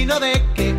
Opino de que...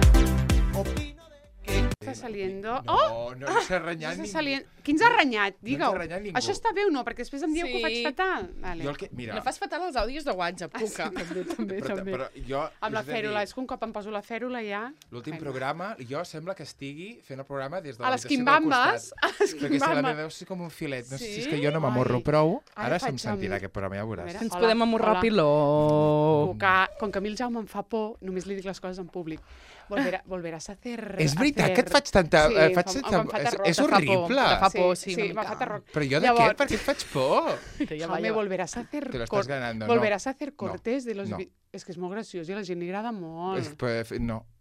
Està saliendo... No ens ha renyat ningú. Qui ens ha renyat? No Digueu. ens ha renyat ningú. Això està bé o no? Perquè després em dieu que ho faig fatal. Vale. Mira, No fas fatal els àudios de WhatsApp, Cuca. També. però jo... Amb la us he de fèrula, dir, és que un cop em poso la fèrula ja... l'últim programa, jo sembla que estigui fent el programa des de A la les habitació del quimbambes, costat. a les Perquè si la quimbambes. meva veu és com un filet. No sé si és Sí? que jo no m'amorro Ai. prou. Ara Ara se'm faig sentirà amb- aquest programa, ja ho veuràs. A veure. Ens Hola, podem amorrar hola. piló. Com que a mi el Jaume em fa por, només li dic les coses en públic. Volveràs a hacer... És veritat que et faig tanta... Sí, faig em tanta... fa terror, És te fa por, horrible. te fa por, sí, sí, una me mica. fa terror. Però jo de Llavors- què? Per què et faig por? Jaume, volveràs a hacer... Te lo estás ganando, no. Volverás a hacer cortes de los... no. És que és molt graciós i a la gent li agrada molt. Pues,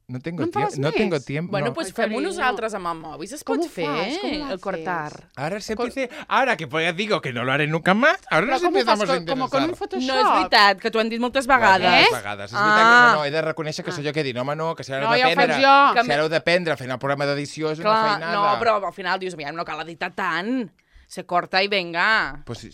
no tengo No en tiempo. fas No més? tengo tiempo. Bueno, no. pues Ai, fem-ho carinyo. nosaltres amb el mòbil. Es Com pot ho fer, fas? Com ho el cortar. Ahora se empiece... Ahora que pues digo que no lo haré nunca más, ahora Però nos com ho fas? empezamos a Com con un interesar. Photoshop? No és veritat, que t'ho han dit moltes vegades. Moltes vegades. És veritat que Ah. no, he de reconèixer que sóc jo que he dit, home, no, que si ara No, heu ja ho faig d'aprendre... jo. Si ara heu d'aprendre fent el programa d'edició és una Clar, feinada. no, però al final dius, aviam, no cal editar tant. Se corta i venga. Pues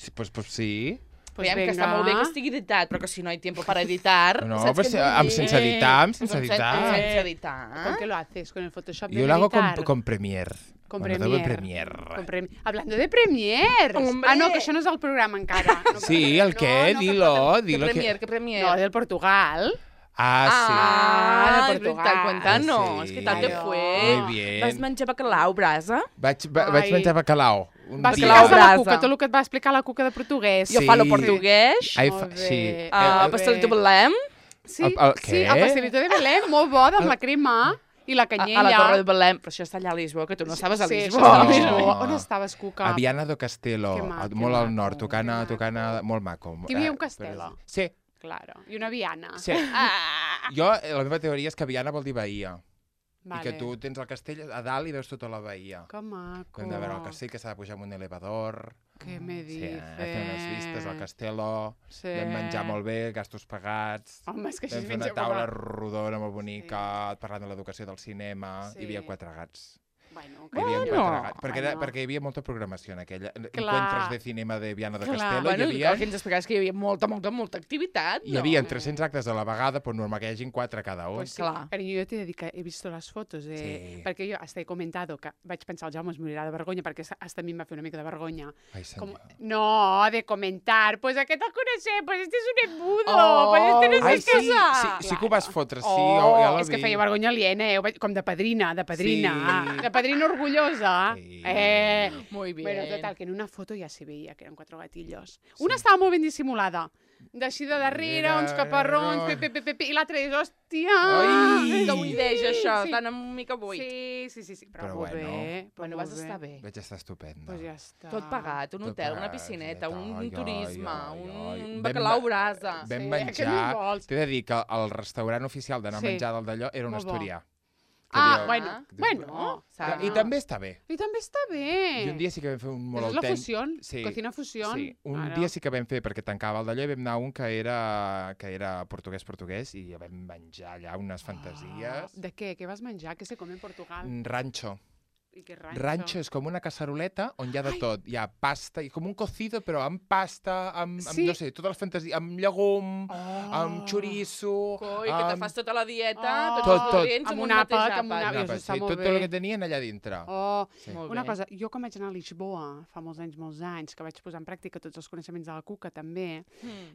sí. Pues Aviam, que està venga. molt bé que estigui editat, però que si no hi ha temps para editar... No, saps pues què vull dir? sense editar, sense editar. Sense editar. ¿Con qué lo haces? ¿Con el Photoshop de Yo lo hago editar? con Premiere. Con Bueno, Premiere. Adobe Premiere. Hablando de Premiere. Hombre. Ah, no, que això no és el programa encara. No, Sí, el què? no, Dilo, Que dilo. premier, que premier. No, del Portugal. Ah, Ah, de Portugal. veritat, cuéntanos. Sí. ¿Qué tal te Claro. fue? Muy bien. Vas menjar bacalao, brasa? sí. Vaig menjar bacalao. Un Vas dia. explicar a la brasa. Cuca, tot el que et va explicar la Cuca de portuguès. Jo Sí. falo portuguès. Ai, Molt sí. bé. Pastelito Belém. Sí, El sí, què? el pastelito de Belém, molt bo, amb la crema i la canyella. A la Torre de Belém. Però això està allà a Lisboa, que tu no estaves a Sí, Lisboa. això està a No. Lisboa. On estaves, Cuca? A Viana do Castelo, Que maco, molt que al nord, maco, tocant que maco. molt maco. Que hi havia un però castelo. Sí, Claro, i una viana. sí. Ah, Jo, la meva teoria és que Viana vol dir bahia. vale. I que tu tens el castell a dalt i veus tota la bahia. Que maco. Hem de veure el castell, que s'ha de pujar amb un elevador. Què me Sí, dices? fer unes vistes al castello. Sí. Vam menjar molt bé, gastos pagats. Home, és que així Vam es fer una menja taula com rodona molt bonica, parlant de l'educació del cinema. Sí. Hi havia 4 gats. Bueno, Hi havia Bueno. 4 gats. Bueno. Perquè hi havia molta programació en aquella. Encuentres de cinema de Viana de Clar. Castelo. Bueno, Hi havia, el que ens explicaves que hi havia molta activitat, no? hi havia 300 actes a la vegada, però normal que hi hagin 4 cada un. Pues sí, Clar. cariño, yo te dedico, he visto las fotos Sí. perquè jo hasta he comentado que vaig pensar el Jaume es morirà de vergonya perquè hasta a mi em va fer una mica de vergonya. Ai, Com, senyor. no, de comentar, pues aquest el coneixem, pues este és un embudo, Oh. pues este no sé Ai, què sí, és. sí que ho vas fotre, sí, Oh, ja l'ho és que vi. feia vergonya aliena, com de padrina, Sí. de padrina orgullosa. Sí. Muy bien. Bueno, total, que en una foto ja s'hi veia que eren 4 gatillos. Una estava molt ben dissimulada, d'així de darrere, Mira, uns caparrons, no. i l'altra és, hòstia! Ai! Que buideja, això, Sí. tan una mica buit. Sí, però, Però molt bueno. bé. Bueno, vas estar bé. Vaig estar estupenda. Pues ja està. Tot pagat, un Tot hotel, una pagat, piscineta, sí, un ai, turisme, ai, ai. un Vam bacalao ma- brasa. Vam Sí, què menjar... més vols? T'he de dir que el restaurant oficial d'anar a Sí. menjar del d'allò era un Molt bo. asturià. Que Ah, diu- bueno, No, I també està bé. I també està bé. I un dia sí que vam fer un molt És la autèntic. fusió, Sí. cocina fusió. Sí, un dia sí que vam fer, perquè tancava el d'allò, i vam anar a un que era portuguès, i vam menjar allà unes fantasies. De què? Què vas menjar? Què se come en Portugal? Rancho. I què rancho? Rancho és com una caceroleta on hi ha de tot. Hi ha pasta, i com un cocido, però amb pasta, amb Sí. no sé, totes les fantasies, amb llegum, amb chorizo... Coi, que te fas tota la dieta, Oh. tots Tot, els tot. nutrients Amb en un un mateix àpat, amb un àpat. àpat. Apa, està sí, molt tot bé. el que tenien allà dintre. Oh, Sí. Molt una bé. cosa, jo quan vaig anar a Lisboa, fa molts anys, que vaig posar en pràctica tots els coneixements de la Cuca també,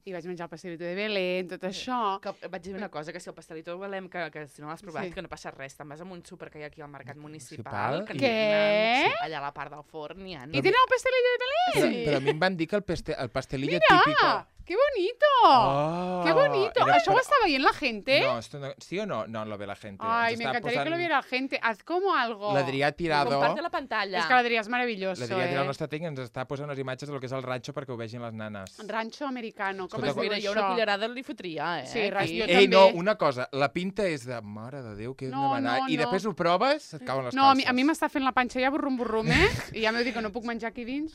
i vaig menjar el pastelito de Belén, tot això... Que vaig dir una cosa, que si el pastelito de Belém, que si no l'has provat, Sí. que no passa res, te'n vas a un súper que hi ha aquí al mercat Municipal municipal. Que i- n'hi ha- Què? Sí, allà a la part del forn n'hi ha. I tenen el pastelillo de Belén! Però a mi em van dir que el pastelillo Mira, típico... ¡Qué bonito! Oh, ¡Qué bonito! era ¿Això ho per- estava veient la gente? No, ¿sí o no? No lo ve la gente. Ay, Ens me està encantaría que lo posant- viera la gente. Haz como algo. L'Adrià ha tirado... Comparte la pantalla. És que l'Adrià és meravelloso, L'Adrià ha tirat el eh? nostre tec i ens està posant unes imatges del que és el ranxo perquè ho vegin les nanes. Rancho americano, com Escolta, es diu Mira, jo això? una cullerada li fotria, eh? Sí, aquí. jo Ei, també. no, una cosa, la pinta és de... Mare de Déu, que hem No, demanat. no, I no. després ho proves, et cauen les No, a calces. mi m'està fent la panxa ja burrum, I ja m'heu dit que no puc menjar aquí dins.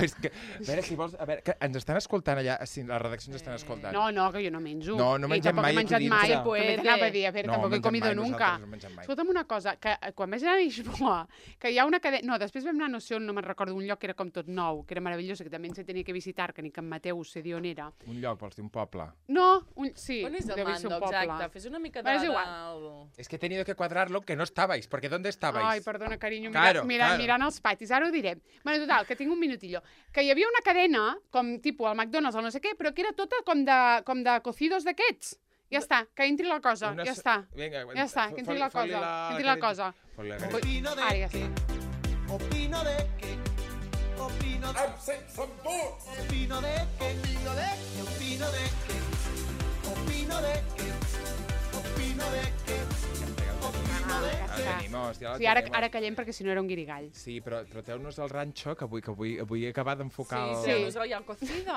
És que, a veure, si vols... A veure, que ens estan escoltant allà, sí, la redacció ens estan escoltant. No, que jo no menjo. No mengem mai I tampoc he menjat aquí mai. dins. També t'anava a dir, a veure, tampoc he comido nunca. No mengem mai. Escolta'm una cosa, que quan vaig anar a Lisboa, que hi ha una cadena... No, després vam anar, no sé on, no me'n recordo, un lloc que era com tot nou, que era meravellós, que també ens tenia que visitar, que ni que en Mateu sé dir on era. Un lloc, vols dir un poble? No, sí. On és el deu ser un mando, poble. exacte? Fes una mica Bueno, és de... igual. Es que he tenido que cuadrarlo que no estabais, porque ¿dónde estabais? Ai, perdona, carinyo, Claro, mirant els patis, ara ho diré. Bueno, total, que tinc un minutillo. Que hi havia una cadena, com tipus el McDonald's o no sé què, però que era tota com de cocidos d'aquests. Ja està, que entri la cosa, ja està. Vinga, Ja està, que entri la cosa. Ara ja està. Opino de que... Opino de que... Opino de que... Opino de que... Opino de que... Opino de que... Venimos, ja la Sí, ara tenim. callem perquè si no era un guirigall. Sí, però troteu-nos al ranxo, que avui he acabat d'enfocar Sí, no us ja el cocido.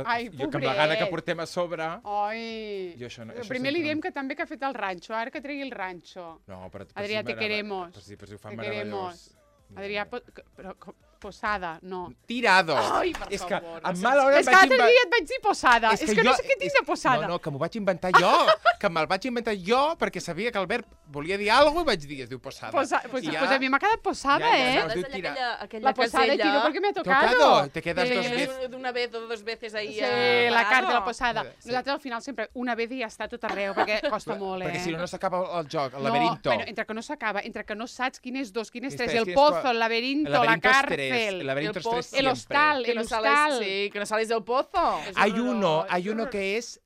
Ai, jo, que amb la gana que pobret. portem a sobre... Ai. Jo això no, Primer li diem que també que ha fet el ranxo, ara que tregui el ranxo. No, però... Adrià, te queremos. Per si ho fan Te queremos. meravellós. Adrià, però posada, no. Tirado. Ai, per és favor. que amb mala hora És que l'altre dia et vaig dir posada. És que no sé què tinc de posada. No, que m'ho vaig inventar jo. Que me'l vaig inventar jo perquè sabia que Albert volia dir alguna cosa i vaig dir, es diu posada. Pues a mi m'ha quedat posada, Ja, eh? es diu tirar. La posada de tiro porque me ha tocado. Te quedas dos veces. De una vez o dos veces ahí. Sí, la carta de la posada. Sí. Nosaltres al final sempre una vez i ja està tot arreu, perquè costa molt, Perquè si eh? no s'acaba el joc, el laberinto. No, bueno, entre que no s'acaba, entre que no saps quin és dos, quin és Quin tres, és el tres, pozo, quin el laberinto, El la laberinto es tres. cárcel, El laberinto es tres el hostal, Que el no sales, hostal. sí, que no sales del pozo. Hay uno que es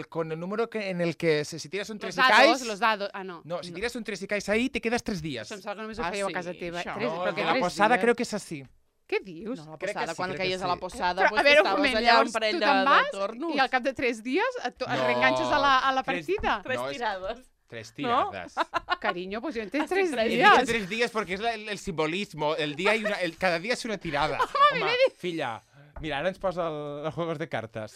con el número en el que si tiras un 3 y caes... Los dados, no. No, si tiras un 3 y caes ahí, te quedas 3 días. Això em sembla que només ho Ah, fèieu sí, a casa teva. això. Tres, No, però el que de la tres posada dies. creo que es así. Què dius? No, la Crec que posada, sí, quan crec que caies a sí. la posada, Però, pues a veure, un estaves moment, allà llavors un parell tu de te'n vas tornos. i al cap de 3 dies et No, reenganxes a la tres- partida. Tres No, és- tirades. 3 tiradas. Cariño, pues yo entré 3 He días. dicho 3 días porque es el simbolismo. El día hay cada día es una tirada. Home, filla, mira, ara ens posa els juegos de cartes.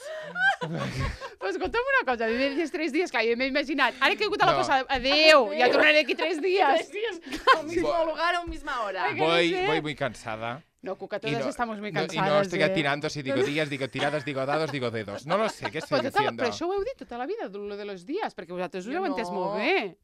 Pues escolta'm una cosa, a mi m'he dit 3 dies, clar, jo m'he imaginat. Ara que he hagut a la No. posada, adeu, ja tornaré aquí 3 días. 3 días, al mismo lugar, a la misma hora. Ay, que no sé. Voy muy cansada. No, Cuca, Y todas no- estamos muy no- cansadas. Y no estoy eh? atinando si digo días, digo tiradas, digo dados, digo dedos. No lo sé, ¿qué estoy Pues diciendo? però això ho heu dit tota la vida, lo de los días, perquè vosaltres ho Jo heu entès no. molt bé.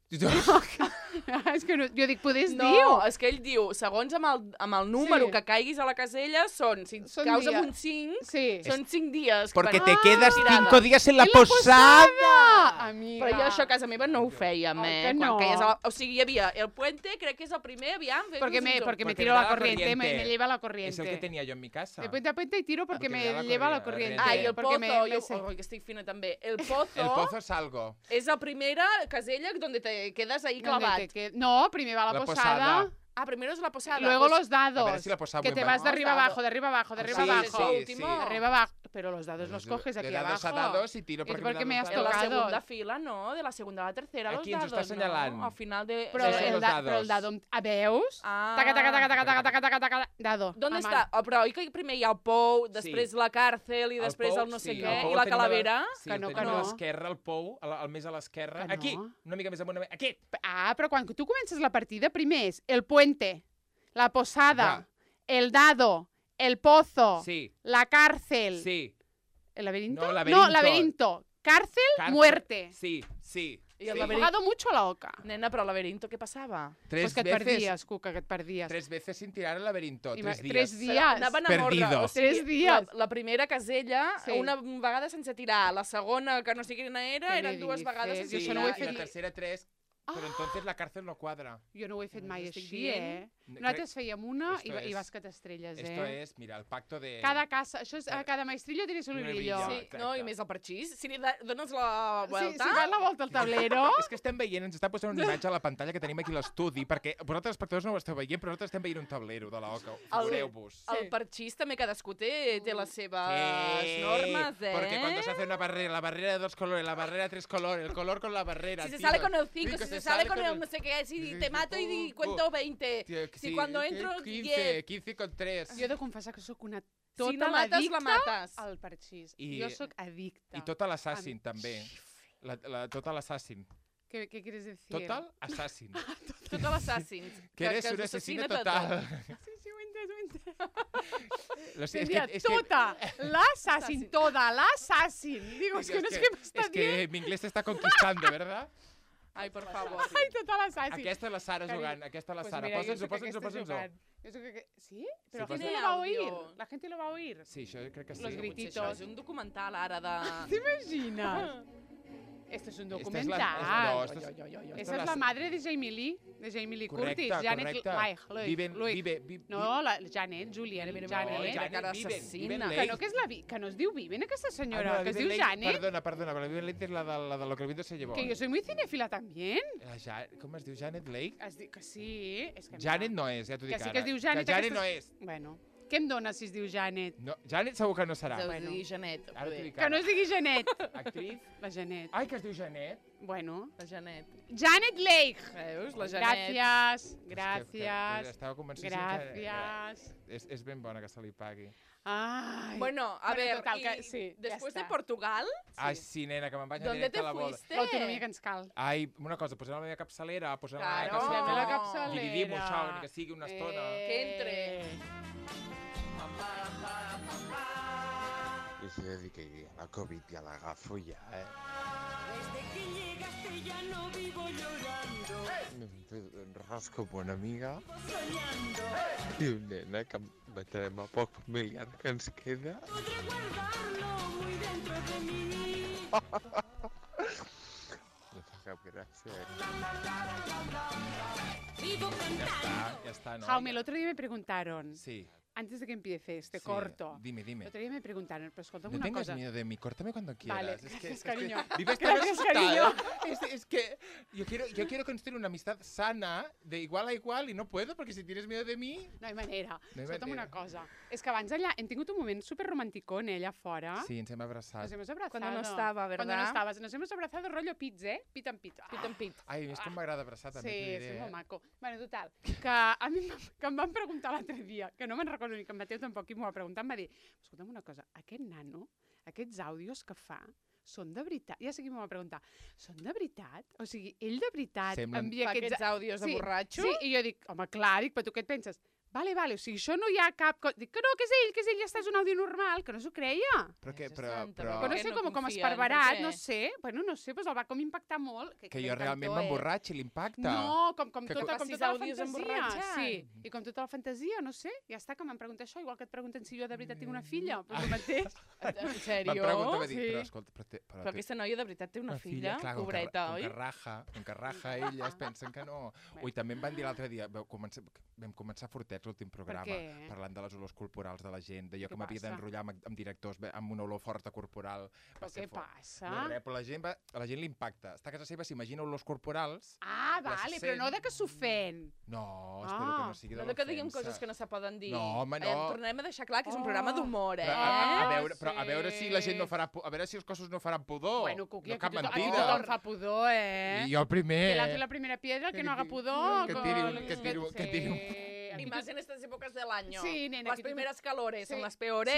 És que no, jo dic, poder No, diu. és que ell diu, segons amb el número Sí. que caiguis a la casella, si Són caus amb dies. un 5, Sí. són 5 dies. Porque Bueno, te quedas tirada. 5 días en la En la posada. Amiga. Però jo això a casa meva no ho fèiem, Oi eh? que no? Quan caies a la... O sigui, hi havia el puente, crec que és el primer, aviam. Porque me Porque tiro me la da la corriente, me corriente. lleva la Es corriente. el que tenía yo en mi casa. De puente a puente y tiro porque Porque me me da la lleva la corriente. corriente. Ah, i el porque pozo, jo, que estic fina també. El pozo, El pozo es algo. és la primera casella donde te quedas ahí ¿Dónde clavat. te No, primero va la posada. Ah, primero es la posada. Luego pues, los dados. A ver si la posada que muy te mal. vas de arriba Los abajo, dados. de arriba abajo, de arriba Sí, abajo. eso sí, último. sí. De arriba abajo. Pero los dados los coges aquí de dados abajo. a dados y tiro ¿Y por porque qué me has En la tocado? segunda fila, no? De la segunda a la tercera, Aquí los ens ho dados, està assenyalant. no? Al final de... Però, Sí, sí, el los dados. però el dado... A veus? Ah. Taca, taca, taca, taca, taca, taca, taca, taca, dado. ¿Dónde a està? mano. Oh, però oi que primer hi ha el pou, després la càrcel i després el no sé sí, què, el pou i la el tenim calavera? Sí, Que no, el que tenim a no. l'esquerra, el pou, al més a l'esquerra. Que Aquí, no. una mica més amunt. Aquí. Ah, però quan tu comences la partida, primer és el puente, la posada, el dado, el pozo, Sí, la cárcel, sí. ¿el laberinto? No, laberinto. No, laberinto. Cárcel, muerte. Sí, sí. I el He laberinto... jugado mucho a la oca. Nena, però el laberinto què passava? Pues que et perdies, Cuca, que et perdies. 3 veces sin tirar el laberinto. 3 días. 3 Però dies. anaven en ordre, Perdido. o sigui, 3 dies. La primera casella, Sí. una vegada sense tirar, la segona, que no sé quina era, Què eren me dues dices? vegades Jo sense això tirar. no ho he Y la fet. tercera 3, pero entonces la cárcel no cuadra. Jo no ho he fet mai estic així, dient. Nosaltres fèiem una Esto i es- vas que t'estrelles, Esto eh? es, mira, el pacto de... Cada casa, això és, a cada maestrillo tiene su Una librillo. villa. Sí, Exacte. no, i més el parxís. Si li dones la Sí, volta... si fas la volta al tablero... És que estem veient, ens està posant una imatge a la pantalla que tenim aquí a l'estudi, perquè vosaltres, espectadors, no ho esteu veient, però nosaltres estem veient un tablero de l'OCA. Figureu-vos. El parxís també cadascú té les seves normes, eh? Porque cuando se hace una barrera, la barrera de 2 colores, la barrera de 3 colores, el color con la barrera. Si se tío. sale con el 5, Tío, si se sale con el no sé qué, si te mato y cuento 20. Tío, Si cuando entro, 15, 10. 15 con 3. Jo he de confessar que sóc una tota Si no mates, la addicta mates. al parxís. I- Jo sóc addicta. I tota l'assassin, també. Tota l'assassin. ¿Qué quieres decir? Total assassin. Total Assassins. Que eres una assassina total. Sí, ho he entès. Lo sé, Tendría tota l'assassin, toda l'assassin. Digo, es que no sé què m'està Es dient. que mi inglés t'està conquistando, ¿verdad? Ai, per favor. Ai, tota l'assassin. Aquesta és la Sara jugant, aquesta és la Sara. Posa'ns-ho. ¿Sí? Pero Sí, la gente tiene lo va a audio. oír. La gente lo va a oír. Sí, això crec que sí. Los Potser grititos. això és un documental ara de... ¿Te imaginas? Esto es un Esta es documental. no, esto es- Esa es la madre de Jamie Lee Curtis. Correcte, Janet correcte. Leigh. No, la Janet, Julian, Mira, Janet. Janet Viven, assassina. Viven Que Leigh. no, que no es diu Viven, aquesta Ah, senyora, no, que es Viven diu Leigh- Janet. Perdona, però la Viven Leigh és la de lo que el viento se llevó. Que yo soy muy cinéfila también. Com es diu? Janet Leigh? Es diu que sí. És que Janet no és, ja t'ho dic Que sí ara. que es diu Janet. Que Janet aquesta- no és. Bueno, què em dona si es diu Janet? No, Janet segur que no serà. Deu Bueno. dir Janet. Ara t'ho dic Que no es digui Janet. Actriz. La Janet. Ai, que es diu Janet. Bueno. La Janet. Janet Leigh. Veus? La Janet. Gràcies, Que gràcies, estava convencidíssim gràcies. és ben bona que se li pagui. Ai. Bueno, a ver, total, y que, sí, después ja de està. Portugal, Ai, sí, nena, que me'n vaig ¿dónde directe te a la boda. fuiste? L'autonomia que ens cal. Ai, una cosa, posem la meva capçalera, posem Claro. la Posem meva la capçalera. capçalera. Dividim això, ni que sigui una estona. Que entre. Y se dedica a la COVID y a la gafo ya, ¿eh? Desde que llegaste ya no vivo llorando, Me rasco buena amiga soñando. y un nena que matarem a poc familiar que ens queda. Podré guardarlo muy dentro de mí. No fa cap gràcia. Vivo cantando. Ja està, no? Jaume, el otro día me preguntaron, Sí. antes de que empiece este sí. corto, Dime. el otro día me preguntaron, pero escolta'm No una tengas cosa. miedo de mí, córtame cuando quieras. Vale, es que, gracias, es que cariño. vives tan Gracias, asustada. cariño. Es que yo quiero construir una amistad sana, de igual a igual, y no puedo, porque si tienes miedo de mí... No hi manera. No hi Escolta'm manera. una cosa. És que abans allà hem tingut un moment super romanticón, allà fora. Sí, ens hem abraçat. Nos hemos abrazado. Cuando no estaba, ¿verdad? Cuando no estabas. Nos hemos abrazado rollo pizza, ¿eh? Pit en pit. Pit en pit. Ai, és com m'agrada abraçar, també Sí, t'ho és diré. molt maco. Bueno, total, que a mi que em van preguntar l'altre dia, que no me'n recordo ni que en Mateu tampoc i m'ho va preguntar, em va dir, escolta'm una cosa, aquest nano, aquests àudios que fa, són de veritat? Ja sé qui m'ho va preguntar. Són de veritat? O sigui, ell de veritat Semblen- envia Fa aquests... aquests àudios de borratxo? Sí, i jo dic, home, clar, dic, però tu què et penses? Vale, o sigui, això no hi ha cap... Dic que no, que és ell, ja està, és un àudio normal, que no s'ho creia. Però que, Mare però, santa, però, Que no què sé no com confien? esparverat, Per què? no sé. Bueno, no sé, doncs el va com impactar molt. que jo realment m'emborratxi l'impacte. No, com Que tota facis la àudios fantasia. emborratxats. Sí, i com tota la fantasia, no sé. Ja està, que m'han preguntat això, igual que et pregunten si jo de veritat tinc una filla. Però el mateix. En M'han sèrio? preguntat, va dir, Sí. però escolta, Però aquesta noia de veritat té una filla, clar, pobreta, oi? Com que raja ella, es pensen que no. Ui, també em van dir l'altre dia, vam començar fortets l'últim programa, què? parlant de les olors corporals de la gent, d'allò Què que m'havia passa? d'enrotllar amb directors amb una olor forta corporal. Però què passa? No, res, però a la gent li impacta. Està a casa seva, s'imagina olors corporals. Ah, Les vale, però no de que s'ofèn. No, espero que no sigui de No de que diguem l'ofensa. coses que no se poden dir. No, home, no. Tornem a deixar clar que és un programa d'humor, eh? Però a veure si la gent no farà... A veure si els cossos no faran pudor. Bueno, Cuqui, no cap aquí mentida. tothom fa pudor, eh? I jo el primer. Que lanci la primera piedra, que no haga pudor. Que tiri un... Y más en estas épocas del año. Sí, nena, Las que tú- primeras calores Sí. son las peores.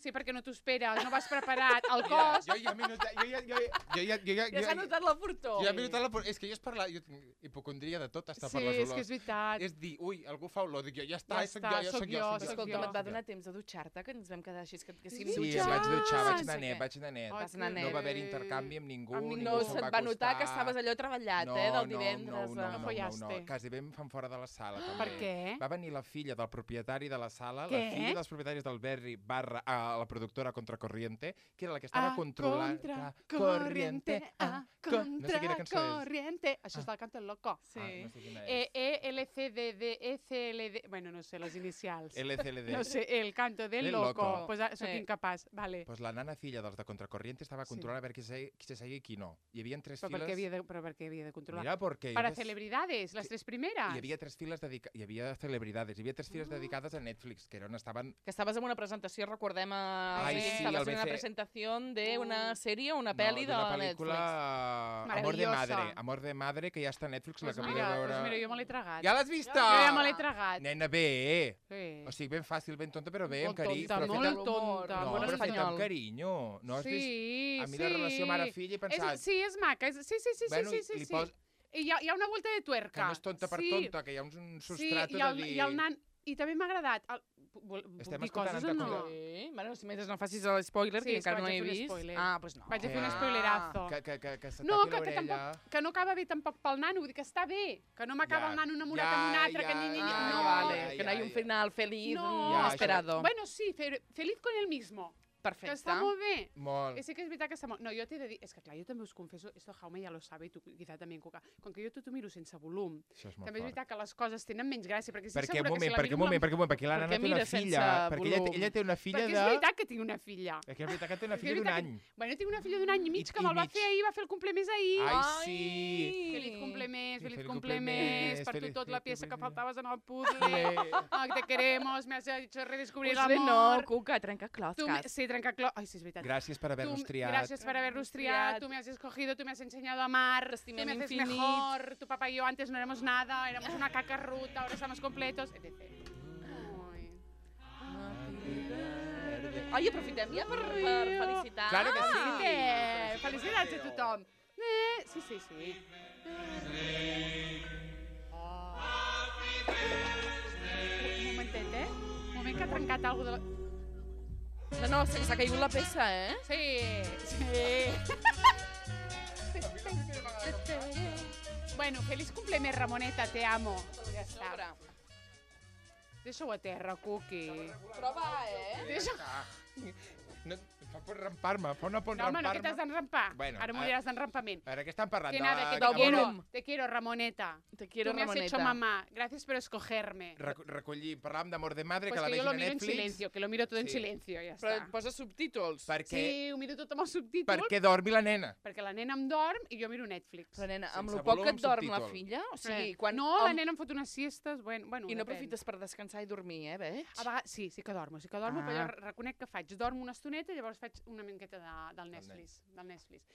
Sí, perquè no t'ho esperes, no vas preparat. El cos... Jo ja m'he notat... Ja s'ha notat la furtó. Jo ja m'he notat la... És que jo és parlar... Jo tinc hipocondria de tot, està per Sí, les és olors. que és veritat. És dir, ui, algú fa olor, dic jo, ja està, Ja soc està, jo, soc jo, soc Escolta'm, et va jo. donar temps de dutxar-te, que ens vam quedar així, que si em Sí, dutxes... em vaig dutxar, vaig no anar sé net, què. vaig anar net. Vas anar net. No va haver intercanvi amb ningú, Amb ningú. ningú No, se'm se't va va notar que acostar. estaves allò treballat, del divendres. No follaste. Quasi bé em fan fora de la sala, també. Per què? Va venir la filla del propietari de la sala, Què? la filla dels propietaris del Berri la productora Contracorriente, que era la que estava controlant... Contracorriente, No sé quina cançó és. contracorriente. Això és del Canto del Loco. Sí. No sé quina és. ELCDD, ECLD... Bueno, no sé, les inicials. LCLD. No sé, el Canto del Del Loco. Loco. Pues soc Sí. incapaç, vale. Pues la nana filla dels de Contracorriente estava Sí. controlant a veure qui se seguia i qui no. Hi havia tres Però per files... què havia de controlar? Mira, perquè... Para celebridades, les tres primeras. Hi havia tres files dedicades... Hi havia celebridades. Hi havia 3 fires dedicades a Netflix, que era on estaven... Que estaves en una presentació, recordem, Ai, sí, estaves el en una BC. presentació d'una sèrie o una pel·li de d'una pel·lícula Netflix. Amor de Maravillosa. Madre. Amor de Madre, que ja està a Netflix, la Pues que podeu veure... mira, jo me l'he tragat. Ja l'has vista? Jo ja me l'he tragat. Nena, bé. Sí. O sigui, ben fàcil, ben tonta, però bé, amb Molt carinyo. tonta, però molt feta- tonta. No, molt però feta espanyol. amb carinyo. No has vist? Sí, A mi la relació mare-filla he pensat... Sí, és maca. Sí, Bueno, sí. li pos- I hi ha una volta de tuerca. Que no és tonta per sí, tonta, que hi ha un substrat sí, de dir... i el nan... I també m'ha agradat. Puc Estem dir escoltant coses o en no? Taco. Sí, bueno, si mentre no facis l'espoiler, Sí, que és que encara no vaig he a fer un vist. spoiler. Ah, doncs no. Vaig a fer un Ah. spoilerazo. Que se No, tapi que l'orella. tampoc, que no acaba bé tampoc pel nano, vull dir que està bé, que no m'acaba Ja, el nano enamorat ja, amb un altre, que ja, ni, Ah, no. vale, que no hay un final feliz, No. Ja, esperado. Bueno, sí, feliz con el mismo. Que Perfecte. està molt bé. Molt. Sí que és veritat que està molt... No, jo t'he de dir... És que clar, jo també us confesso, esto Jaume ja lo sabe, i tu quizá també en Cuca. Com que jo tot ho miro sense volum, Això és molt també és fort. veritat que les coses tenen menys gràcia, perquè estic Perquè, segura que si la perquè miro amb la... perquè la Per nana què té una mires sense filla. Perquè volum? ella té una filla Perquè de... és veritat que tinc una filla. És que és veritat que té una Perquè filla és d'un veritat any. Bueno, tinc una filla d'un any i mig que I me'l va mig. fer ahir, va fer el complemés ahir. Ai, sí. Feliz complemés, Sí, feliz feliz complemés, complemés, per tu feliz- tot la feliz peça que complemés. faltaves en el puzzle. Ah, te queremos, me has hecho redescubrir el Pues no, amor. Cuca, trenca closcas. Sí, trencaclós. Ai, sí, és veritat. Gràcies per haver-nos triat. Gracias por habernos triado, tú me has escogido, tú me has enseñado a amar, tú T'estimem me haces infinit. mejor, tu papá y yo antes no éramos nada, éramos una caca ruta, ahora estamos completos, etc. Ai. Ai, aprofitem ja per felicitar. Claro que sí. Felicitats a tothom. Sí, sí, sí. Un momentet, Un moment que ha trencat alguna de la... No, s'ha caigut la peça, eh? Sí. Bueno, feliç complemés, Ramoneta, te amo. Ja està. Sobre. Deixa-ho a terra, Cookie. Prova, eh? Deixa... No, fa por rampar-me, fa una por No, home, no, que t'has rampar-me. d'enrampar. Bueno, Ara moriràs d'enrampament. A veure, què estan parlant? Que nada, que volum. te quiero, Ramoneta. Te quiero, Tú me has Ramoneta. hecho mamá. Gracias por escogerme. Recollir, parlàvem d'Amor de Madre, Pues que la que yo vegin lo a miro en Netflix. silencio, que lo miro todo en Sí. silencio, ja Però està. et posa subtítols. Perquè, Sí, ho miro tot amb els subtítols, perquè dormi la nena. perquè la nena em dorm i jo miro Netflix. Però, nena, amb Sense el poc que et volum, dorm la subtítol. filla, o sigui, quan... No, la nena em fot unes siestes, bueno I no depèn. aprofites per descansar i dormir, veig? A vegades, sí que dormo, però jo reconec que faig. Dormo una estoneta i llavors faig una miqueta del Netflix.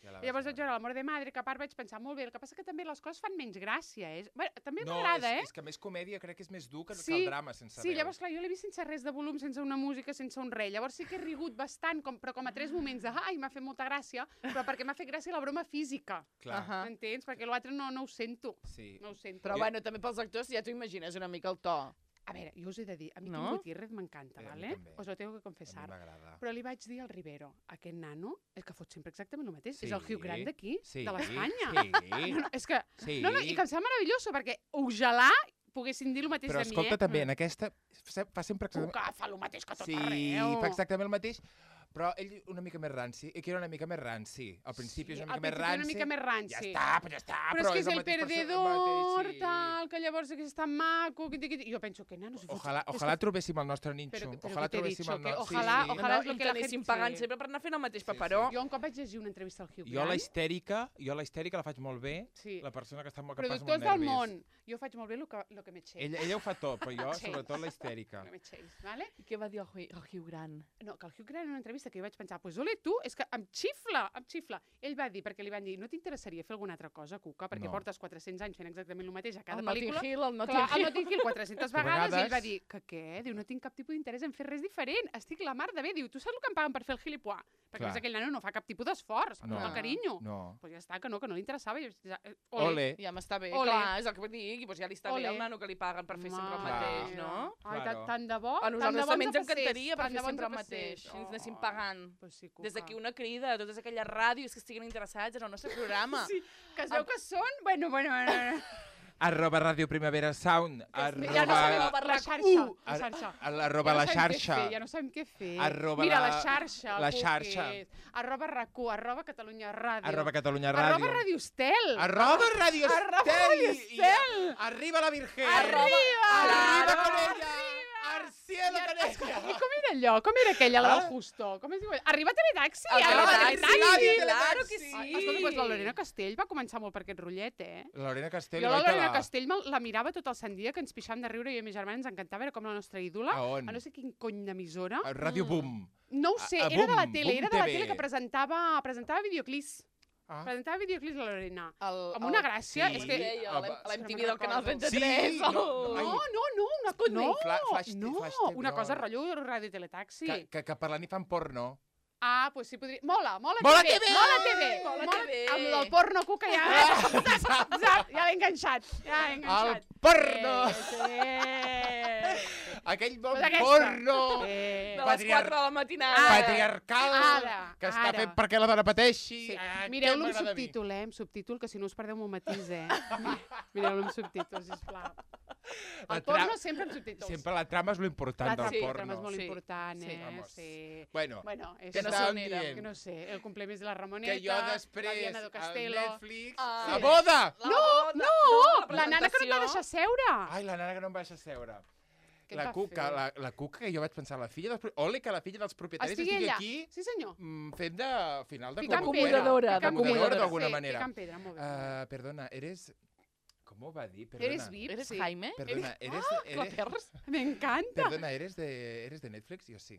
Ja la I llavors vas vaig veure l'Amor de Madre, que a part vaig pensar, molt bé, el que passa que també les coses fan menys gràcia. Bueno, també No, m'agrada, és que més comèdia crec que és més dur que Sí, el drama sense Sí, veu. llavors, clar, jo l'he vist sense res de volum, sense una música, sense un res. Llavors sí que he rigut bastant, però com a 3 moments de ai, m'ha fet molta gràcia, però perquè m'ha fet gràcia la broma física. Clar, Ahà. M'entens? Perquè l'altre no ho sento. sí. No ho sento. Però, bueno, també pels actors ja t'ho imagines una mica el to. A veure, jo us he de dir, a mi No? Kim Gutiérrez m'encanta, A mi ¿vale? també. Os lo tengo que A mi confessar. m'agrada. Però li vaig dir al Rivero, aquest nano, el que fot sempre exactament el mateix, Sí. és el Hugh Grant d'aquí, Sí. de l'Espanya. Sí. No, és que... Sí. No, i que em sembla meravelloso, perquè ojalà poguessin dir el mateix Però de mi, escolta, també, en aquesta fa sempre Que exactament... fa el mateix que tot Sí, arreu. fa exactament el mateix, però ell una mica més ranci, i que era una mica més ranci. Al principi és una al mica més principi ranci. una mica més ranci. Ja està, però ja està. Però és que és el mateix perdedor, sí. tal, que llavors que és tan maco, que jo penso que nano... Ojalà trobéssim el nostre ninxo. Però Ojalà què t'he trobéssim dicho, el que nostre... ojalà- sí. ojalà és no, lo que la t'anessin gent- pagant sí. sempre per anar fent el mateix Sí, paperó. Jo un cop vaig llegir una entrevista al Hugh Jo Grant... la histèrica la faig molt bé, Sí. la persona que està molt que passa Productors molt del nervis. món. Jo faig molt bé el que m'eixeix. Ella ho fa tot, però jo, Sí. sobretot, la histèrica. El que m'eixeix, vale? I què va dir el Hugh Grant? No, que el Hugh Grant en una entrevista que jo vaig pensar, pues ole tu, és que em xifla. Ell va dir, perquè li van dir, no t'interessaria fer alguna altra cosa, Cuca, perquè No. portes 400 anys fent exactament el mateix a cada El pel·lícula. Notting Hill, el Notting Clar, el Hill. Notting Hill 400 Que a vegades, i ell vegades- va dir, que què? Diu, no tinc cap tipus d'interès en fer res diferent, estic la mar de bé. Diu, tu saps el que em paguen per fer el gilipois? Perquè Clar. a més aquell nano no fa cap tipus d'esforç, amb No. tot el carinyo. No. Pues ja està, que no li interessava. I jo, Ole. Ja m'està bé, Ole. clar, és el que vull dir, i doncs ja li està Ole. bé al nano que li paguen per fer sempre el Mare mateix, meva. no? Ai, Claro. tant de bo. A tant de nosaltres bo també ens passés, encantaria per tant fer de bo sempre el ens mateix, passés. si ens anessin pagant. Pues sí, Cuca. Des d'aquí una crida a totes aquelles ràdios que estiguin interessats en el nostre programa. Sí, que es veu que són... Bueno. @ Ràdio Primavera Sound, Ja no sabem @ la xarxa. La xarxa. arroba la xarxa, Ja no sabem què fer. Arroba Mira, la- la xarxa. la Cuquis. xarxa. Arroba RAC1, Catalunya Ràdio. @Catalunya Arroba Ràdio, Radio Estel. @Radio Arroba Estel, Radio Estel. arriba la Virgen, Arriba! arriba Claro. con ella, cielo, Canella! I com era allò? Com era aquella, la del Justo? Com es diu? Arriba Teletaxi! Arriba Teletaxi! Claro que sí. Escolta, doncs la Lorena Castell va començar molt per aquest rotllet, La Lorena Castell, Jo la Lorena Castell la mirava tot el sant dia, que ens pixàvem de riure i a mi germana ens encantava, era com la nostra ídola. A on? A no sé quin cony d'emissora. Ràdio Boom. No ho sé, a era de la Boom, tele, Boom era de la TV. tele que presentava videoclips. Ah. Presentava videoclips la Lorena. Amb El- una gràcia, sí. és que... A l'MTV del Canal recordo. 33. Sí, el- no, ai. No, una cosa... No, Flash no, TV, una no. cosa rotllo Ràdio Teletaxi. Que parlant i fan porno. Ah, doncs sí, podria... Mola Mola TV! TV! Mola TV! Mola TV! Amb el porno, Cuca, ja... Zap, ja l'he enganxat. Ja l'he enganxat. El porno! Sí. Aquell bon Pues aquesta. porno De les 4 de la matinada. patriarcal Ara, que està ara. fet perquè la dona pateixi. Sí. Ah, Mireu-lo què amb m'agrada a mi. subtítol, amb subtítol, que si no us perdeu un matís, Mireu-lo amb subtítol, sisplau. La El porno tra- sempre amb subtítols. Sempre la trama és lo important La del trama porno. és molt Sí, important, sí. Vamos. Sí. Bueno, Bueno, és què no estàvem sonera, dient? que no sé, el cumpleaños de la Ramoneta, Que jo després, la Diana do al Castelo... Netflix, Ah, la sí. boda! La nana que no et va deixar seure! Ai, la nana que no em va deixar seure. Què et La va Cuca, fer? la Cuca, que jo vaig pensar, la filla dels... Ole, que la filla dels propietaris Estigui estigui ella. aquí Sí, senyor. fent de final de Picant Acomodadora, pedra. Acomodadora d'alguna Sí, manera. picant pedra, molt bé. Perdona, eres... Com ho va dir? Perdona. Eres VIP, ¿Eres sí. Jaime? Perdona, eres... Clapers? M'encanta. Perdona, eres de Netflix? Jo sí.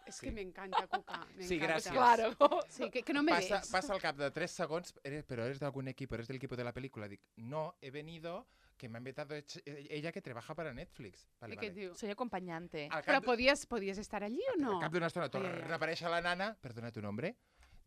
És que m'encanta, Cuca. Sí, m'encanta. gràcies. Claro. Sí, que no me des. Pasa al cap de 3 segons, però eres de algún equipo, eres del equipo de la película. Dic, no, he venido, que me ha invitado ella que trabaja para Netflix. Vale, I què et vale. diu? Soy acompañante. Al Però cap, podies estar allí o no? al cap d'una estona torna Ai, ai, ai. a aparèixer la nana, perdona tu nombre,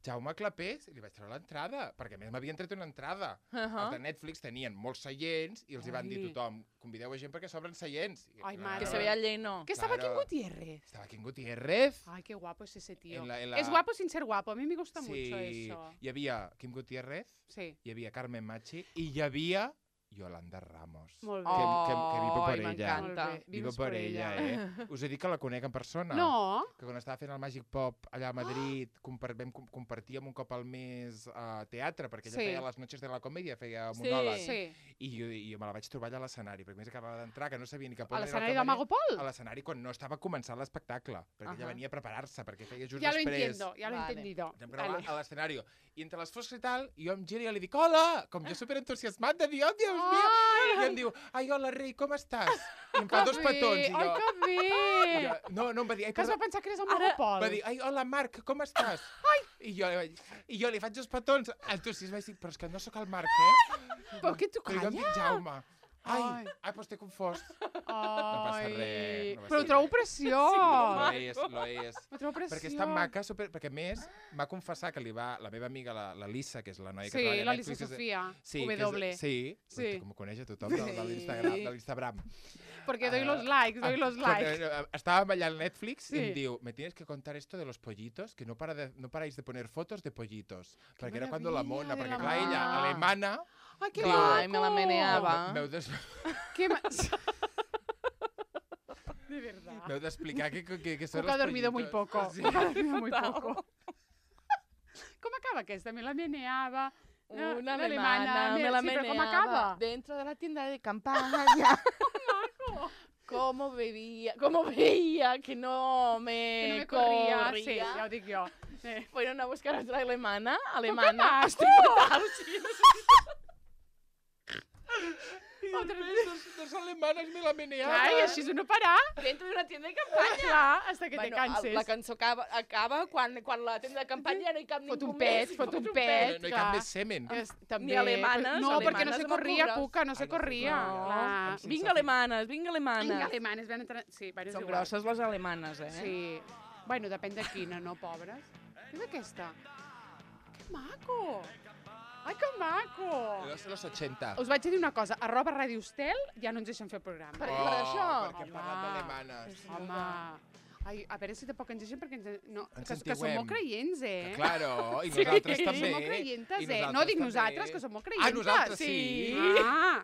Jaume Clapés, i li vaig treure l'entrada, perquè a més m'havien tret una entrada. Els de Netflix tenien molts seients i els hi van dir Ai. tothom, convideu a gent perquè s'obren seients. I, Ai, clar, mare. Que se vea lleno. Que estaba Claro. King Gutiérrez. Estaba King Gutiérrez. Ay, qué guapo es ese tío. En la- Es guapo sin ser guapo. A mí me gusta mucho Sí, eso. hi havia Kim Gutiérrez, Sí, hi havia Carmen Machi i hi havia Yolanda Ramos. molt bé. que vivo por Ai, ella. m'encanta. Molt bé. Vivo Vives por ella, Us he dit que la conec en persona. No, Que quan estava fent el Magic Pop allà a Madrid, compartíem un cop al mes a teatre, perquè ella Sí. feia les noches de la comèdia, feia Sí. monòlegs. sí. I jo me la vaig trobar allà a l'escenari, perquè a més acabava d'entrar, que no sabia ni cap on A era el l'escenari de camarer. Mago Pol. A l'escenari quan no estava començant l'espectacle, perquè ella Ahà. venia a preparar-se, perquè feia just Ya lo després. entiendo, ya lo he Vale. entendido. Vam gravar Vale. a l'escenari. I entre les fosques i tal, jo em giro i li dic, hola! Com jo superentusiasmat de dir, oh, Dios mío! I em diu, ai, hola, rei, com estàs? I em fa dos petons. I jo, Ai, que bé! no, em va dir, ai, Que es va perdó. pensar que eres el Mago Pol. Va dir, ai, hola, Marc, com estàs? I jo li faig dos petons. Entusiasme, vaig dir, però és que no sóc el Marc, Però què tu Però jo em calla? dic Jaume. Ai. Ai, doncs t'he confós. Ai. res, no passa Però ho trobo res. preciós. Lo és. Ho trobo preciós. Perquè és tan maca, perquè a més m'ha confessat que la meva amiga, la Lisa, que és la noia que Sí, treballa a la Lisa Netflix, és- Sofia, Sí, que W. sí, Sí. com ho coneix a tothom de l'Instagram. Porque doy los likes, doy los likes. Estàvem allà al Netflix Sí. y em diu, me tienes que contar esto de los pollitos, que no paráis de poner fotos de pollitos. Perquè era cuando la maravilla, mona, de perquè la clar, mona. ella, alemana, Ay, qué Digo, maco. Ay, me la meneaba. m'heu des- Qué De verdad. m'heu d'explicar que són Cuca ha els dormido muy pollitos. poco. Sí. Cuca ha dormido muy poco. Com acaba aquesta? Me la meneaba. Una la alemana, me la sí, però com meneaba acaba? dentro de la tienda de campaña. Cómo veía que no Que me, no me corria. corría. Sí, ja ho dic jo. Fueron a buscar a otra alemana. maco! Estoy fatal, sí, I després dos alemanes me la meneaven. Clar, i així no parar. dentro de una tienda de campaña. Clar, hasta que te canses. La cançó acaba quan la tienda de campanya ja no hi cap Fot ningú un pet, més. fot un No, pet. no hi clar. cap més semen. També. Ni alemanes, No, perquè no alemanes se amb corria, cures. Cuca, no se Ai, no se corria. corria. Clar. Sí. Vinga alemanes, vinga alemanes. Vinga, alemanes, van entrar... Sí, diverses Són iguals. grosses les alemanes, eh? Sí. Bueno, depèn de quina, no, pobres? Què és aquesta? Que maco! Ai, que maco! Los 80. Us vaig a dir una cosa, a @Ràdio Estel ja no ens deixen fer programa. Per això? Perquè hem parlat d'alemanes. Home, ai, a veure si tampoc ens deixen perquè no, Ens que som sentiuem. molt creients, eh? Claro, i Sí, nosaltres també. som molt creientes, I no nosaltres dic també. nosaltres, que som molt creientes. Ah, nosaltres sí. Ah,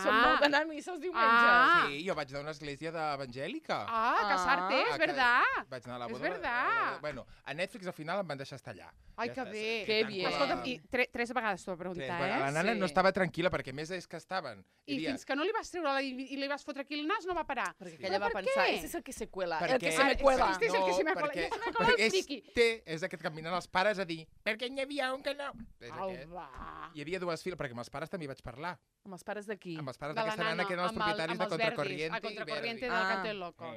Som molt d'anar a missa els diumenges. Ah. Sí, jo vaig anar a una església evangèlica. Casarte, és verdad. Vaig anar a la És boda. verdad. Bueno, a Netflix al final em van deixar estar allà. Ai, Ja que està, bé. Que tant bien. com Escolta'm, i tres vegades t'ho va preguntar, Bueno, la nana Sí. no estava tranquil·la perquè a més és que estaven. I fins que no li vas treure i li vas fotre aquí el nas, no va parar. Perquè Però aquella va per pensar, què? ese es el que se cuela, Perquè- el que se me cuela. Este és el que se me cuela. perquè, Ja se me cuela el perquè friqui. és aquest que caminen els pares a dir perquè n'hi havia un que no. És Au, aquest. va. Hi havia dues files, perquè amb els pares també hi vaig parlar. Amb els pares d'aquí. Amb els pares De la d'aquesta nana, nana, que eren els amb propietaris de els verdis, Contracorriente a Contracorriente i del Verdi. Canto del Loco.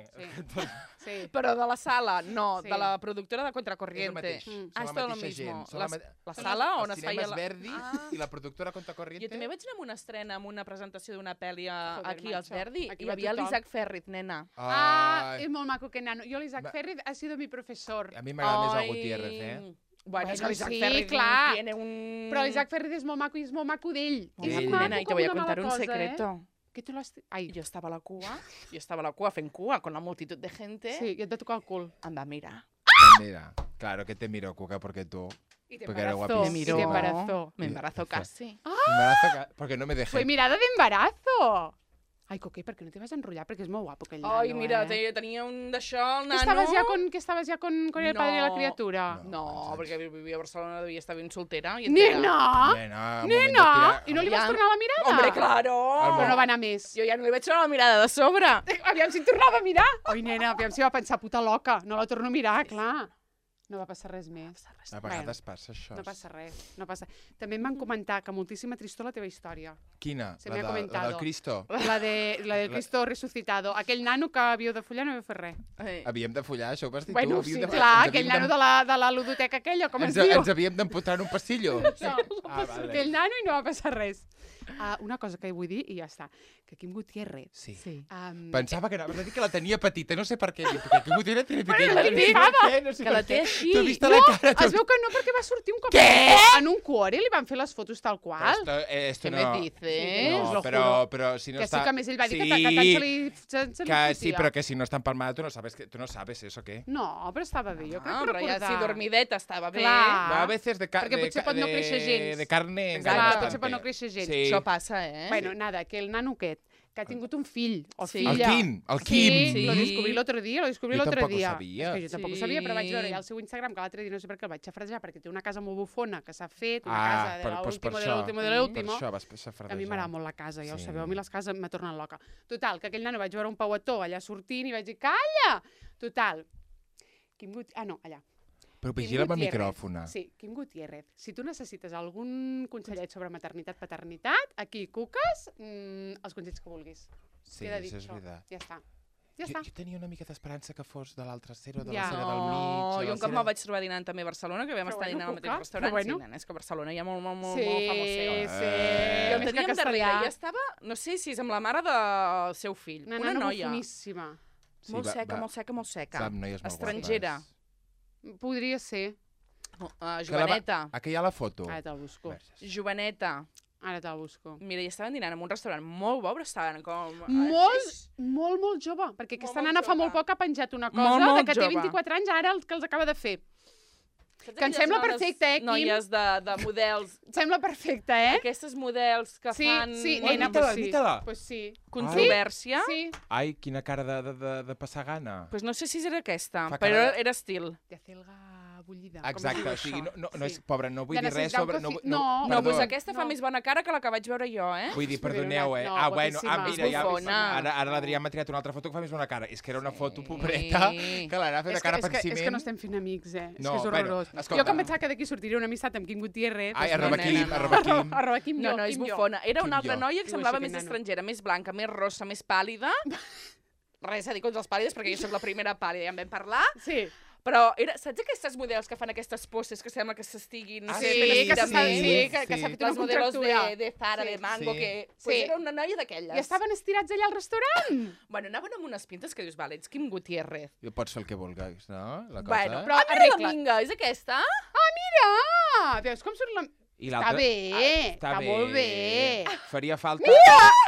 Sí. Però de la sala, no, Sí. de la productora de És el Contracorriente. mateix. Mm. Són Ah, la és tot lo mateixa mismo. gent. Són La sala on els es feia cinemes la... Verdi Ah. i la productora Contracorriente. Jo també vaig anar a una estrena, amb una presentació d'una pel·li Joder, aquí als macho. Verdi. Aquí Hi va havia tothom. l'Isaac Ferriz, nena. Ah, Ai, és molt maco que nano. Jo l'Isaac Va. Ferri ha sido mi professor. a mi m'agrada més el Ai. Gutiérrez, eh? Bueno, és que Bueno, l'Isaac sí, Ferriz clar. tiene un... Però l'Isaac Ferri és molt maco i és molt maco d'ell. Molt És maco, maco nena, y te com voy a una contar mala un cosa, secreto. Que tu l'has... Ai, Jo estava a la cua fent cua, con la multitud de gente. sí, i et va tocar el cul. Em va mirar. Mira, claro que te miro, Cuca, porque tú... I te Porque era embarazó. guapísimo. Y miró. te embarazó. Me embarazó casi. Porque no me dejé. Fue mirada de embarazo. Ai, Coque, per què no te vas enrotllar? Perquè és molt guapo aquell nano, Ai, mira, eh? tenia un d'això, el Que nano. estaves ja con el padre de la No. criatura? No, perquè vivia a Barcelona, devia estar ben soltera. I Nena! Nena, un moment de Nena! tirar- I no li vas Aviam. tornar la mirada? Hombre, claro! Però no va anar més. Jo ja no li vaig treure la mirada de sobre. Aviam si tornava a mirar. Oi, nena, aviam si va pensar, puta loca. No la torno a mirar, clar. No va passar res més. A vegades passa això. No passa res, no passa. També em van comentar que moltíssima tristor la teva història. Quina? Se me ha La comentado. del Cristo? La del Cristo resucitado. Aquell nano que havíeu de follar no havíeu fet res. Havíem de follar, això ho vas dir Bueno, tu? sí, Havíem clar, ens aquell havíem nano de la ludoteca aquella, com es diu. Ens havíem d'emputar en un passillo. No, aquell nano i no va passar res. Una cosa que vull dir i ja està. Que Quim Gutiérrez... Sí. Pensava Pensava que anaves a dir que la tenia petita, no sé per què. Perquè Quim Gutiérrez tiene petita. la flipava. No sé Que per la té què. així. T'he vist a la cara. Es veu que no, perquè va sortir un cop en un cuore, li van fer les fotos tal qual. Esto Què no... me dices? No, Lo però si no que està... sí que a més ell va dir que Sí, tant se li que sí, fotia. però que si no està empalmada tu no sabes eso, ¿qué? No, però estava bé, jo crec Ah, que però ja recordar. si dormideta estava bé. Clar. A veces de Perquè potser pot no créixer gens. De carne Clar, enganya potser pot no bastante. créixer gens. Sí. Això passa, eh? Bueno, nada, que el nano aquest, que ha tingut un fill o Sí. filla... El Quim. Sí, lo Sí. descobrí l'altre dia, Jo tampoc ho sabia. És que jo tampoc ho Sí. sabia, però vaig veure ja al seu Instagram, que l'altre dia no sé per què el vaig xafrajar, perquè té una casa molt bufona que s'ha fet, una casa de doncs per l'último, de això. l'último, de Per l'último. això vas safradejar. A mi m'agrada molt la casa, ja ho Sí. sabeu, a mi les cases m'ha tornat loca. Total, que aquell nano vaig veure un pauetó allà sortint i vaig dir, calla! Total. No, allà. Però Quim vigila amb el Gutiérrez. micròfon. Sí, Quim Gutiérrez. Si tu necessites algun consellet sobre maternitat, paternitat, aquí, cuques, els consells que vulguis. Sí, Queda dit això és això. veritat. Ja està. Ja està. Jo tenia una mica d'esperança que fos de l'altra cera o de Ja. la cera del No, mig. jo un cop me'l vaig trobar dinant també a Barcelona, que vam Però estar bueno, dinant al mateix Cuca, restaurant. però bueno. Sí, nena, és que a Barcelona hi ha molt Sí, famoseo. sí. Jo el Més que teníem darrere, castellà. i estava, no sé si és amb la mare del seu fill, Una una nana noia, boníssima. molt seca, molt seca, molt seca. Sap, noies molt Estrangera. guapes. Podria ser. Joveneta, Aquí hi ha la foto. Ara te'l busco. Verges. joveneta. Ara te'l busco. Mira, i estaven dinant en un restaurant molt bo, però estaven com... Molt jove, perquè aquesta Molt nana fa jove. molt poc ha penjat una cosa Molt de que té jove. 24 anys, ara el que els acaba de fer. Saps Que em aquelles sembla dones- perfecte, Quim? Noies de models, Em sembla perfecte, eh? aquestes models que Sí, fan sí, Oi, nena, mira-la, pues sí. mira-la. Pues sí. controvèrsia. Sí. Ai, quina cara de passar gana. Pues no sé si era aquesta, Fa però cara de- era estil. De celga bullida. Exacte, o sigui, no és... Pobra, no vull De dir res necessitar un sobre... coci- No, perdó. doncs aquesta fa No. més bona cara que la que vaig veure jo, eh? Vull dir, Però perdoneu, eh? no, Bueno, guapíssima. mira, ja... Bufona. Ara l'Adrià m'ha triat una altra foto que fa més bona cara. És que era una foto pobreta que l'anava fent de cara per és que no estem fent amics, eh? És No, que és bueno, horrorós. escolta. Jo que em pensava que d'aquí sortiria una amistat amb Quim Gutiérrez. Ai, doncs arroba no, Quim, nena, no. arroba Quim. Arroba Quim No, jo, no, és Quim jo. bufona. Era Quim una altra jo. noia que Diu semblava això, més aquest nano. estrangera, més blanca, més rossa, més pàl·lida. Res a dir contra els pàl·lides, perquè jo sóc la primera pàl·lida, ja en vam parlar. Sí. Però saps aquestes models que fan aquestes poses que sembla que s'estiguin... Ah, Sí, sí, que s'ha sí, que s'ha sí. fet una Les modelos contractura. de Zara, Sí. de Mango, Sí. que Sí. pues era una noia d'aquelles. I estaven estirats allà al restaurant. Bueno, anaven amb unes pintes que dius, vale, ets Quim Gutiérrez. I pots fer el que vulguis, no? La cosa. Bueno, Però però mira la arregla. minga, és aquesta? Mira! Veus com surt la... I Està l'altra- bé, està està molt bé. Faria falta...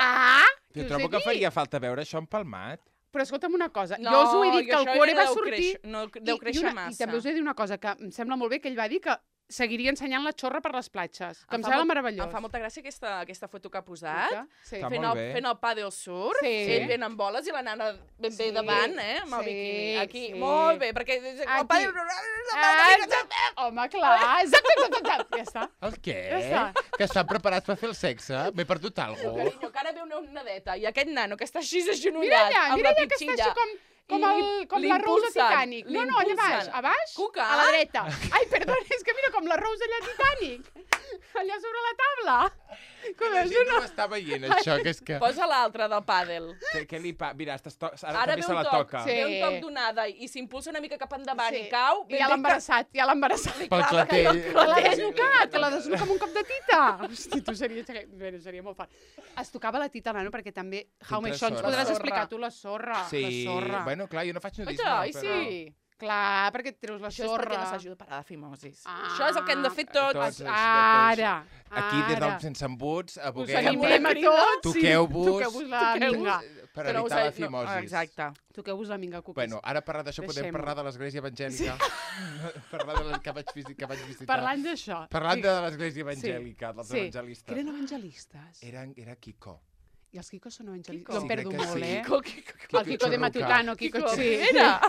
Ah! Jo Què us trobo he que dit? faria falta veure això empalmat. Però escolta'm una cosa, jo us ho he dit que el això cuore ja va deu sortir... créixer- no, deu créixer massa. I també us he de dir una cosa, que em sembla molt bé que ell va dir que seguiria ensenyant la xorra per les platges, que em fa sembla molt- meravellós. Em fa molta gràcia aquesta foto que ha posat. Sí. Està Fent molt el, bé. fent el pàdel surf, Sí. ell ben amb boles i la nana ben bé Sí. davant, amb el Sí, biquini. Aquí, sí. molt bé, perquè el Aquí. pàdel... Home, clar. Exacte. Ja està. El què? Ja està. Que estan preparats per fer el sexe? M'he perdut alguna cosa. Carinyo, que ara ve una nadeta i aquest nano que està així Mira agenollat allà, amb mira la allà que està pitxilla. així com la Rose de l'impulsen, Titanic. No, allà baix. l'impulsen. A baix? Cuca. A la dreta. Ai, perdona, és que mira com la Rose allà a Titanic. Allà sobre la taula. Com La és gent no una... ho està veient, això, que és que... Posa l'altra del pàdel. Què li pa... Mira, ara Ara també ve se un la toc, toca. Sí. ve un toc d'onada i s'impulsa una mica cap endavant i cau. I ja l'ha embarassat, Pel clatell. Que l'ha desnucat, que l'ha desnucat amb un cop de tita. Hosti, tu seria molt fort. Es tocava la tita, nano, perquè també How Many Shots sorra. podràs La explicar sorra. tu la sorra. Sí, La sorra. bueno, clar, jo no faig nudisme, Ai, però... sí. Clar, perquè et treus la Això és sorra. perquè no s'ajuda a parar de fimosis. Ah. Això és el que hem de fer tots. Tots. Ara. Aquí, des ara. del Sense Embuts, Us aboguem... animem a tots. Toqueu-vos. Toqueu-vos la minga. Per Que no us evitar la ha- fimosis. Exacte. Toqueu-vos la minga, cuquis. Bueno, ara parlant d'això podem Deixem-ho. parlar de l'església evangèlica. Parlar de la que vaig visitar. Parlant d'això. Parlant de l'església evangèlica, dels Que evangelistes. eren evangelistes. Era Kiko. I els Quicos són evangelistes. Quico. L'hem Sí, perdut crec que molt, sí. eh? Quico. El Quico de Matutano, Quico, sí. Era.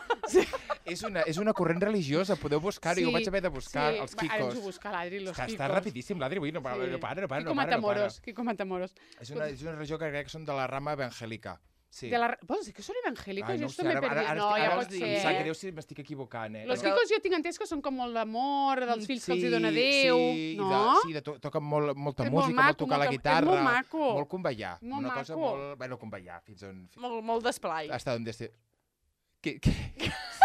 És una corrent religiosa, podeu buscar-ho. Jo ho vaig haver de buscar, els Va, ara ens ho Quicos. busca l'Adri, los Quicos. Està rapidíssim, l'Adri, avui no para, no para. Quico Matamoros, Quico Matamoros. És una religió que crec que són de la rama evangèlica. Sí. Vols dir que són evangèlicos? Ai, Jo no ho sé, esto m'he perdut. No, ja pot Em sap ser. greu si m'estic equivocant, eh? Los Perquè- Quicos jo tinc entès que són com molt d'amor, dels fills que els hi dona Déu, sí, no? Sí, toquen molta És molt música, molt maco, tocar la és guitarra. molt maco. Molt convallar. Molt Una cosa maco. molt... Bueno, convallar, fins on... Molt d'esplai. Hasta on esté...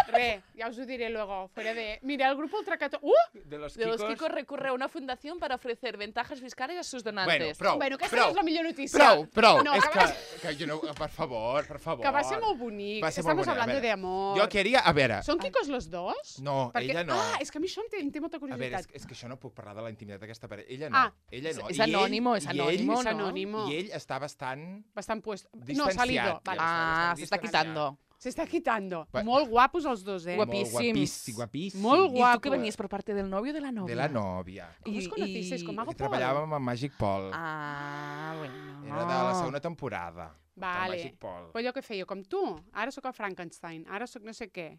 Re, ja us ho diré luego, fuera de... Mira, el grupo Ultracato... De los De los Quicos... Quicos recurre a una fundación para ofrecer ventajas fiscales a sus Bueno, donantes. prou, Bueno, aquesta prou, no és la millor notícia. prou. No, és que que jo no... Per favor. Que va ser molt bonic. Va ser molt Estamos bonic. A hablando veure, de amor. Jo queria... A veure... ¿Son Quicos los dos? No, ella no. Ah, és que a mi això em té molta A veure, curiositat. és que això no puc parlar de la intimitat d'aquesta parella. Ella no. Ah, Ella no. és I ell- anònimo, és i ell- anònimo, És no? anònimo. I ell està bastant... Bastant puesto. No, Distanciat, salido. ja. Vale. Ah, se está quitando. Se está quitando. Va- Molt guapos els dos, eh? Guapíssims. Guapíssim. Molt ¿Y guapo. tú que venías por parte del novio o de la novia? De la nòvia. Com us conocisteis? Com Mago Que Pol? treballàvem amb Magic Paul. Ah, bueno. Era de la segona temporada. Vale. De Magic Paul. Però allò que feia, com tu. Ara sóc el Frankenstein. Ara sóc no sé què.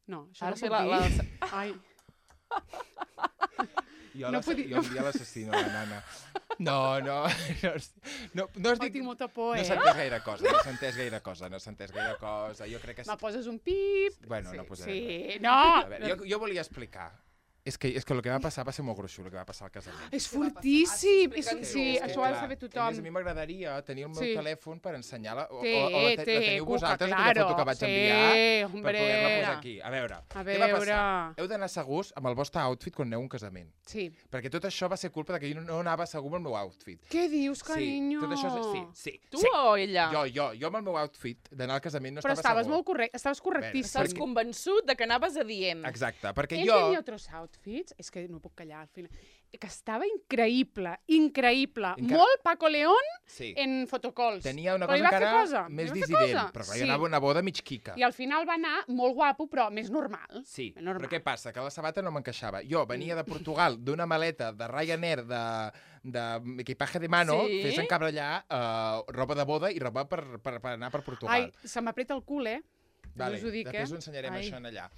No, això Ara no sé puc la- dir. la- Jo, No puc dir- jo un dia l'assassino, la nana. No has Ai, dit... tinc molta por, No eh? s'ha entès gaire cosa, no s'ha entès gaire cosa. Jo crec que... Me poses un pip. Bueno, no posaré res. Sí, no. A veure, jo volia explicar. És que el que va passar va ser molt gruixut, el que va passar al casament. És fortíssim. Explica't Sí, tu. això ho ha de saber A més, tothom. a mi m'agradaria tenir el meu Sí. telèfon per ensenyar-la, o Té, la teniu Cuca, vosaltres, claro. aquella foto que vaig Sí, enviar, hombre. per poder-la posar aquí. A veure, A què va veure. passar? Heu d'anar segurs amb el vostre outfit quan aneu a un casament. Sí. Perquè tot això va ser culpa de que jo no anava segur amb el meu outfit. Què dius, carinyo? Sí, tot això sí. Tu sí. o ella? Jo amb el meu outfit d'anar al casament no Però estava estaves segur. molt correcte, estaves correctíssim. Estàs convençut de que anaves adient. Exacte, perquè Ell jo... tenia otros outfits, és que no puc callar al final, que estava increïble, increïble. Encara- Molt Paco León Sí. en fotocalls. Tenia una Però cosa hi va fer encara cosa, més hi va fer dissident, cosa. però Sí. jo anava a una boda mig quica. I al final va anar molt guapo, però més normal. Sí, Més normal. però què passa? Que la sabata no m'encaixava. Jo venia de Portugal d'una maleta de Ryanair d'equipaje de mano, Sí? fes encabrellar roba de boda i roba per anar per Portugal. Ai, se m'apreta el cul, eh? Vale, us ho dic, després eh? ho ensenyarem Ai. això en allà.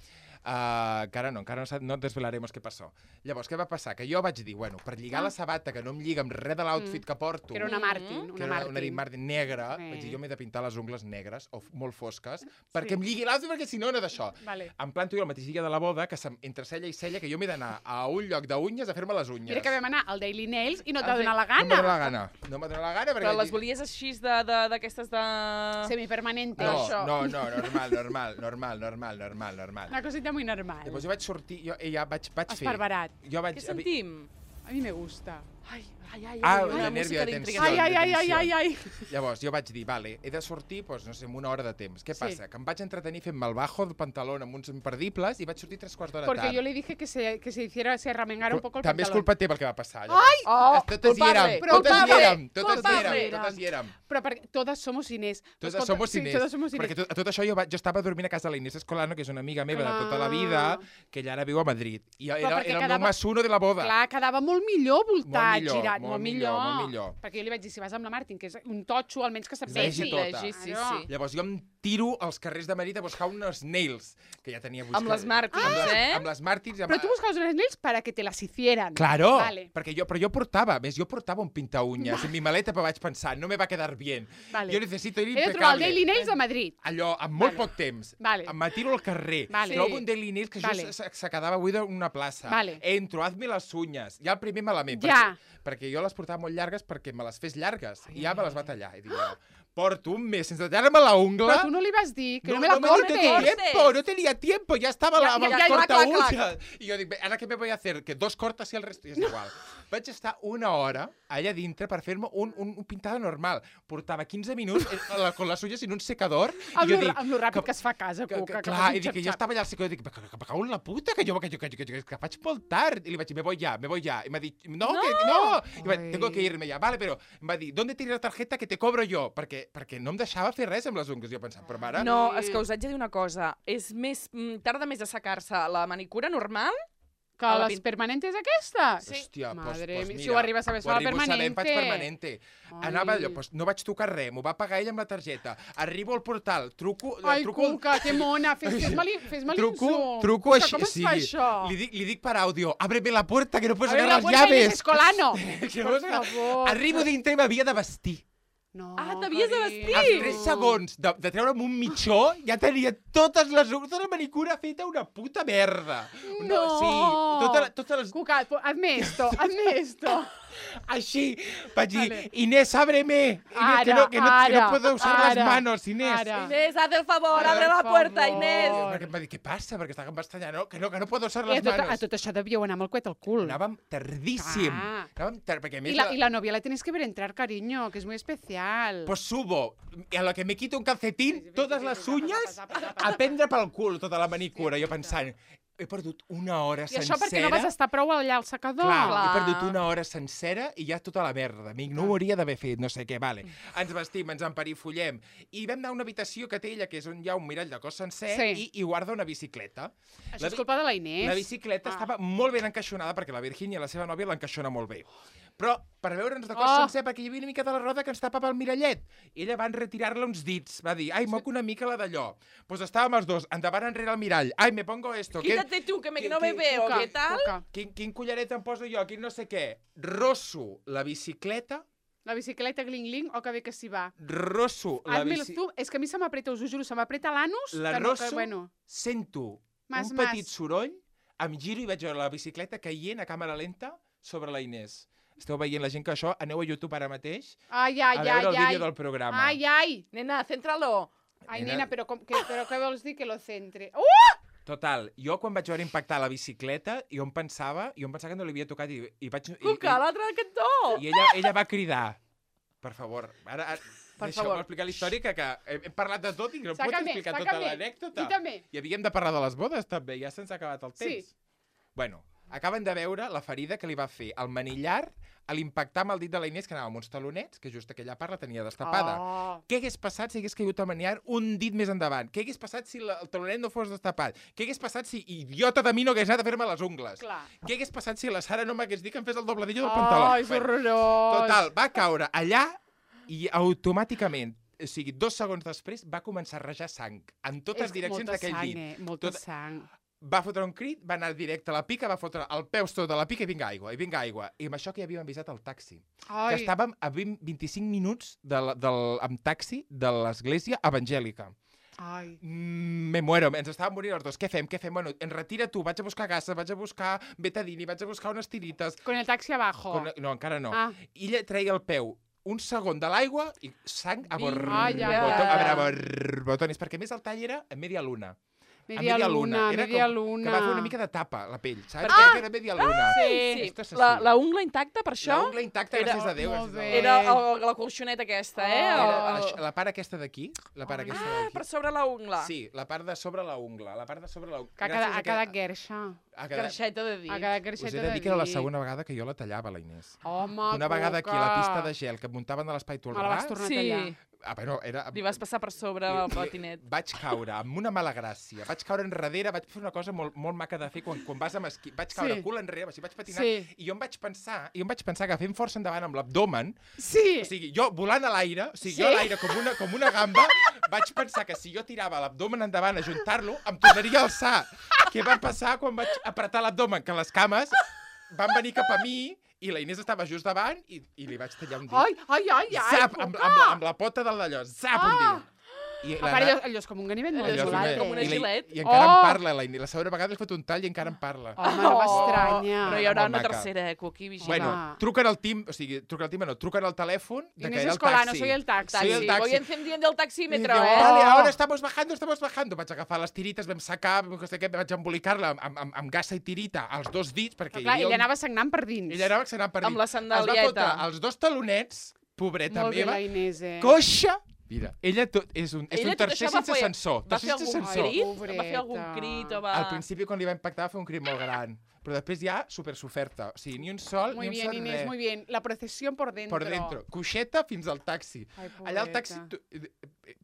Encara no desvelaremos què passó. Llavors, què va passar? Que jo vaig dir, bueno, per lligar la sabata, que no em lliga amb res de l'outfit que porto, Que era una Martin, que una era una Dean Martin negra, vaig dir, jo m'he de pintar les ungles negres o molt fosques, perquè em lligui l'outfit, perquè si no, no d'això. Vale. Em planto jo al mateix dia de la boda, que entre cella i cella, que jo m'he d'anar a un lloc d'unyes a fer-me les unyes. Mira que vam anar al Daily Nails i no t'ha Ah, sí. donat la No m'ha gana. donat la gana. No m'ha donat la gana perquè... Però les volies així d'aquestes de... Semipermanente. No, això. no, normal. Una cosita muy normal. Llavors jo vaig sortir, jo ja vaig fer... Esparverat. Jo vaig... Què sentim? A mi me gusta. Ai, la nervio de tensió. Ai. Llavors, jo vaig dir, vale, he de sortir, doncs, no sé, en una hora de temps. Què passa? Que em vaig entretenir fent-me el bajo del pantalón amb uns imperdibles i vaig sortir 3/4 d'hora Porque tard. yo le dije que se remengara un poco el També és pantalón. culpa teva el que va passar. Oh, Totes hi érem, totes hi érem. Però perquè totes somos Inés. Totes Escolta, somos sí, Inés. totes somos Inés. Perquè a tot això jo estava dormint a casa de la Inés Escolano, que és una amiga meva de tota la vida, que ella ara viu a Madrid. I era perquè el meu más-uno de la boda. Clar, quedava molt millor voltat, girat. Molt millor. Perquè jo li vaig dir, si vas amb la Martin, que és un totxo, almenys que se't Vegi vegi. tota. Sí. Llavors jo em tiro als carrers de Madrid a buscar unes nails, que ja tenia buscat. Amb les Martins, Amb les Martins. Però tu buscaves unes nails para que te las hicieran. Claro, Vale. però jo portava un pinta-uñas en mi maleta, però vaig pensar, no me va quedar bien. Vale. Jo necessito ir He de trobar el impecable. Daily Nails de Madrid. Allò, amb molt poc temps. Vale. Em tiro al carrer. Vale. Trobo un Daily Nails que Vale. just se quedava buida en una plaça. Vale. Entro, hazme les uñas. Ja el primer malament. Ja. Perquè jo les portava molt llargues perquè me les fes llargues. I ja me les va tallar. I dic jo, porto un mes sense tallar-me la ungla. Però tu no li vas dir, que no me la me cortes. no tenía tiempo, ya estaba la corta uña. Y yo digo, ¿ahora qué me voy a hacer? Que 2 cortes y el resto, y és igual. Vaig estar una hora allà dintre per fer-me un pintado normal. Portava 15 minuts con les uñas en un secador. Amb lo ràpid que es fa a casa, Cuca. Clar, i dic que jo estava allà al secador i dic, que me cago en la puta, que faig molt tard. I li vaig dir, me voy ya. I m'ha dit, no. I vaig dir, tengo que irme ya. Vale, però em va dir, ¿dónde tienes la tarjeta que te cobro yo? Perquè no em deixava fer res amb les ungles. Jo pensava, però mare... No, és que us haig de dir una cosa. Tarda més a assecar-se la manicura normal Que les permanentes aquestes? Sí. Hòstia, Madre pues mia, mira, si ho arribes a saber, fa la permanente. Faig permanente. Anava allò, pues no vaig tocar res, m'ho va pagar ell amb la targeta. Arribo al portal, truco... Ai, Cuca, que mona, fes-me l'insult. Truco així, Com es fa això? Li dic per àudio, ábreme la puerta que no puedes Abre sacar la las puerta y llaves. Escolano. Por favor. Arribo dintre i m'havia de vestir. No, t'havies de carinyo. vestir. Als 3 segons de treure'm un mitjó, ja tenia totes les ungles, tota la manicura feta una puta merda. No. Sí, totes les... Cuca, hazme esto. Així, vaig dir, Vale. Inés, ábreme. Inés, que no puedo usar las manos, Inés. Inés, haz el favor, abre la puerta, Inés. Perquè em va dir, què passa? Perquè estava bastant no, que no puedo usar les manos. A tot això devíeu anar amb el coet al cul. Anàvem tardíssim. Perquè a més... Y la novia la tienes que ver entrar, cariño, que es muy especial. Pues subo, y a lo que me quito un calcetín, totes les uñas, a prendre pel cul tota la manicura. Jo pensant, he perdut una hora I sencera... això perquè no vas estar prou allà al secador. Clar, he perdut una hora sencera i ja tota la merda. Amic, no ho hauria d'haver fet, no sé què, vale. Ens vestim, ens emperifollem. I vam anar a una habitació que té ella, que és on hi ha un mirall de cos sencer, i guarda una bicicleta. Això és culpa de la Inés. La bicicleta estava molt ben encaixonada, perquè la Virgínia, la seva nòvia, l'encaixona molt bé. Però per veure'ns de cos sencer, perquè hi havia una mica de la roda que ens tapava el mirallet. I ella va enretirar-la uns dits. Va dir, ai, moc una mica la d'allò. Pues estàvem els dos, endavant enrere al mirall. Ai, me pongo esto. Quítate tu, que no me veo, Cuca, ¿qué tal? Cuca. Quin collaret em poso jo? Quin no sé què. Rosso la bicicleta. La bicicleta gling-gling, o que bé que s'hi va. Rosso la Hazme bicicleta. tu, és que a mi se m'apreta, us ho juro, se m'apreta l'anus. La que no, Rosso, que, bueno. sento Mas, un petit soroll, em giro i veig la bicicleta caient a càmera lenta sobre la Inés. Esteu veient la gent que això, aneu a YouTube ara mateix Ai, a veure el vídeo del programa. Ai. Nena, céntralo. Ai, Nena. nena, però què vols dir que lo centre? Total, jo quan vaig veure impactar la bicicleta, jo em pensava que no li havia tocat i vaig... Cuca, a l'altre cantó. I ella va cridar, per favor, ara deixeu-me explicar la història, que hem parlat de tot i no puc explicar tota l'anècdota. I també. I havíem de parlar de les bodes, també, ja se'ns ha acabat el temps. Sí. Bueno, acaben de veure la ferida que li va fer el manillar a l'impactar amb el dit de la Inés, que anava amb uns talonets, que just aquella part la tenia destapada. Què hagués passat si hagués caigut el manillar un dit més endavant? Què hagués passat si el talonet no fos destapat? Què hagués passat si, idiota de mi, no hagués anat a fer-me les ungles? Clar. Què hagués passat si la Sara no m'hagués dit que em fes el dobladillo del pantaló? Ai, és horrorós. Total, va caure allà i automàticament, o sigui, 2 segons després, va començar a rajar sang en totes direccions d'aquell dit. Molta sang. Va fotre un crit, va anar directe a la pica, va fotre el peus tot de la pica i vinga aigua, I amb això que ja havíem avisat el taxi. Ai. Que estàvem a 25 minuts amb taxi de l'església evangèlica. Ai. Me muero, ens estàvem morint els dos. Què fem? Bueno, retira tu, vaig a buscar gases, vaig a buscar betadine, vaig a buscar unes tirites. Con el taxi abajo. No, encara no. Ah. I ella treia el peu un segon de l'aigua i sang a Ai, ai, borbotones, perquè a més el tall era a media luna. Media luna, Era media com, luna. que va fer una mica de tapa, la pell, saps? Ah! Perquè era media luna. Sí, Esto és la, així. la ungla intacta, per això? La ungla intacta, Era- gràcies a Déu. molt gràcies a bé. Déu. Era la colxoneta aquesta, La part aquesta d'aquí, la part aquesta Ah, d'aquí. per sobre la ungla. Sí, la part de sobre la ungla, la part de sobre la ungla. Que ha quedat guerxa. Carxeta de dir. Ha quedat Us guerxeta he de de dir que era la dir. segona vegada que jo la tallava, la Inés. Home, Una vegada aquí a la pista de Coca. gel que em muntaven de l'espai Me la vas Tolrà... tornar a Sí, tallar. Bueno, era... li vas passar per sobre el patinet. Vaig caure amb una mala gràcia. Vaig caure enrere, vaig fer una cosa molt, molt maca de fer quan vas amb esquí. Vaig caure Sí. cul enrere, o sigui, vaig patinar, Sí. i jo em vaig pensar que fent força endavant amb l'abdomen, Sí. o sigui, jo volant a l'aire, o sigui, Sí. jo a l'aire com una gamba, vaig pensar que si jo tirava l'abdomen endavant a juntar-lo, em tornaria a alçar. Què va passar quan vaig apretar l'abdomen? Que les cames van venir cap a mi i la Inés estava just davant i li vaig tallar un dit. Ai, Zap, Coca! amb la pota del d'allò, zap, un dit. I A part, allò és com un ganivet molt Allò és isolat. com una i gilet. I encara Oh! em parla, la Inés. La segona vegada he fet un tall i encara em parla. Home, no m'estranya. Però hi haurà Molt una maca. tercera, Coqui, vigila. Bueno, truquen al tim, o sigui, truquen al telèfon de que Inés era el Escolano, taxi. soy el taxi. Soy el taxi. Voy encendiendo el I taxímetro, diu, eh? vale, ahora estamos bajando. Vaig agafar les tirites, vam sacar, no sé què, vaig embolicar-la amb gassa i tirita als dos dits, perquè Però clar, hi havia ella anava sagnant per dins. Ella anava accionant per Amb dins. la Es va sandalieta. fotre els dos talonets, pobreta Molt bé, meva, la Inés, coixa. Mira, ella és un Ella tot tercer això va sense fer- sensor. Va fer Tercer sense algun sensor. crit? Pobreta. Va fer algun crit o va... Al principi, quan li va impactar, va fer un crit molt gran. Però després ja, super soferta. O sigui, ni un sol, Muy ni un bien, sol Inés, res. muy bien. La procesión por dentro. Per dentro. Coixeta fins al taxi. Ai, Allà al taxi... pobreta.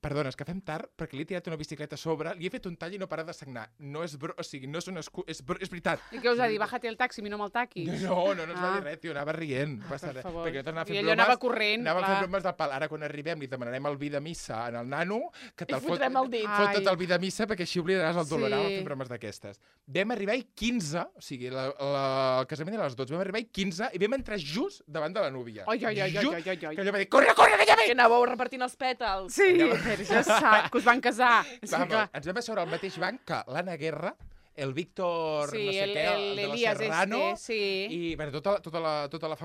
Perdona, és que fem tard perquè li he tirat una bicicleta a sobre, li he fet un tall i no para de sagnar. No és o sigui, no és una és veritat. I què us ha dit? Bájate el taxi, mi no me'l taquis. No ens va Ah. dir res, tio, anava rient. No passa per res. favor. Perquè nosaltres anàvem I fent ella anava bromes, corrent, anàvem clar. fent bromes del pal. Ara, quan arribem, li demanarem el vi de missa en el nano, que I te'l fotrem el dit. Fot tot Ai. el vi de missa perquè així oblidaràs el dolor. Sí. Anàvem fent bromes d'aquestes. Vam arribar i 15, o sigui, el casament era a les 12, vam arribar i 15 i vam entrar just davant de la núvia. Ai, ai, ai, ai, Just, ai, ai, ai. que allò va dir, corre, que ja ve! Que anàveu repartint els pètals. Sí, però ja sap que us van casar. És que, Vamos, clar. ens vam asseure al mateix banc que l'Anna Guerra, el Víctor, Sí, no sé què, el de la l'Elias Serrano, sí. i bueno, tota la famosada. tota la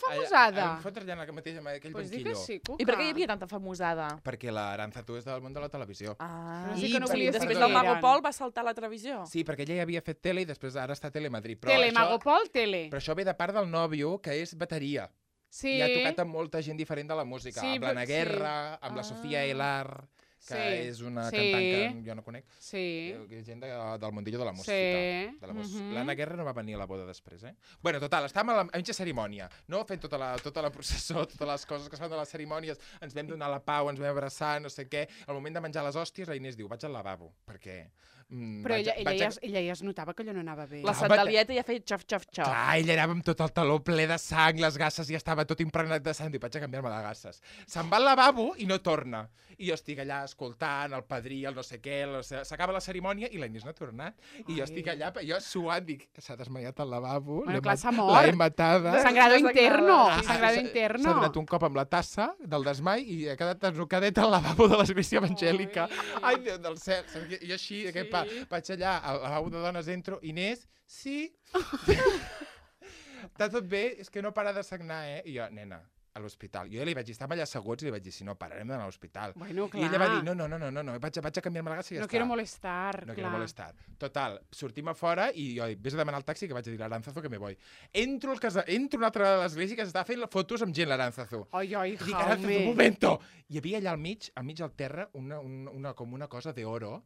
famosada? Em fotre allà en mateix, en aquell Pues di que banquillo. sí, Cuca. I per què hi havia tanta famosada? Perquè l'Aranzatu és del món de la televisió. Ah, Però sí que no volia després saber del qui Mago eren. Pol va saltar a la televisió. Sí, perquè ella ja havia fet tele i després ara està a Telemadrid. Però Tele, això, Magopol, tele. però això ve de part del nòvio, que és bateria. Sí. I ha tocat amb molta gent diferent de la música. Sí, amb l'Anna sí. Guerra, amb la Sofia Elar, que Sí. és una Sí. cantant que jo no conec. Sí. Que és gent del mundillo de la música. Sí. De la música. Mhm. L'Anna Guerra no va venir a la boda després, eh? Bueno, total, estàvem a mitja cerimònia, no? Fent tota la processó, totes les coses que es fan de les cerimònies, ens vam donar la pau, ens vam abraçar, no sé què. Al moment de menjar les hòsties, la Inés diu, vaig al lavabo, perquè... Però ella ja es notava que allò no anava bé. La sandalieta ja feia xof, xof, xof. Clar, ella anava amb tot el taló ple de sang, les gasses ja estava tot impregnat de sang, diu, vaig a canviar-me de gasses. Se'n va al lavabo i no torna. I jo estic allà escoltant el padrí, el no sé què, s'acaba la cerimònia i la Inés no ha tornat. I jo estic allà, jo suant, dic, s'ha desmaiat al lavabo, Bueno, clar, s'ha mort. l'he matada. Sangrado interno. Ah, Sangrado S'ha interno. donat un cop amb la tassa del desmai i ha quedat enrocadet al lavabo de l'església evangèlica. Ai, Déu del cel. I jo així, Sí. vaig allà, al lavabo de dones entro, Inés, sí. Està tot bé, és que no para de sagnar, eh? I jo, nena, a l'hospital. Jo ja li vaig dir, estàvem allà asseguts i li vaig dir, si no, pararem d'anar a l'hospital. Bueno, I ella va clar. dir, no, vaig a canviar-me la gassa i ja No està. quiero molestar, No clar. quiero molestar. Total, sortim a fora i jo dic, vés a demanar el taxi que vaig a dir l'Aranzazu que me voy. Entro una altra de l'església que s'estava fent fotos amb gent, l'Aranzazu. Ai, ai, Dic, Aranzazu, un Jaume. momento! Hi havia allà al mig al terra, com una cosa d'oro,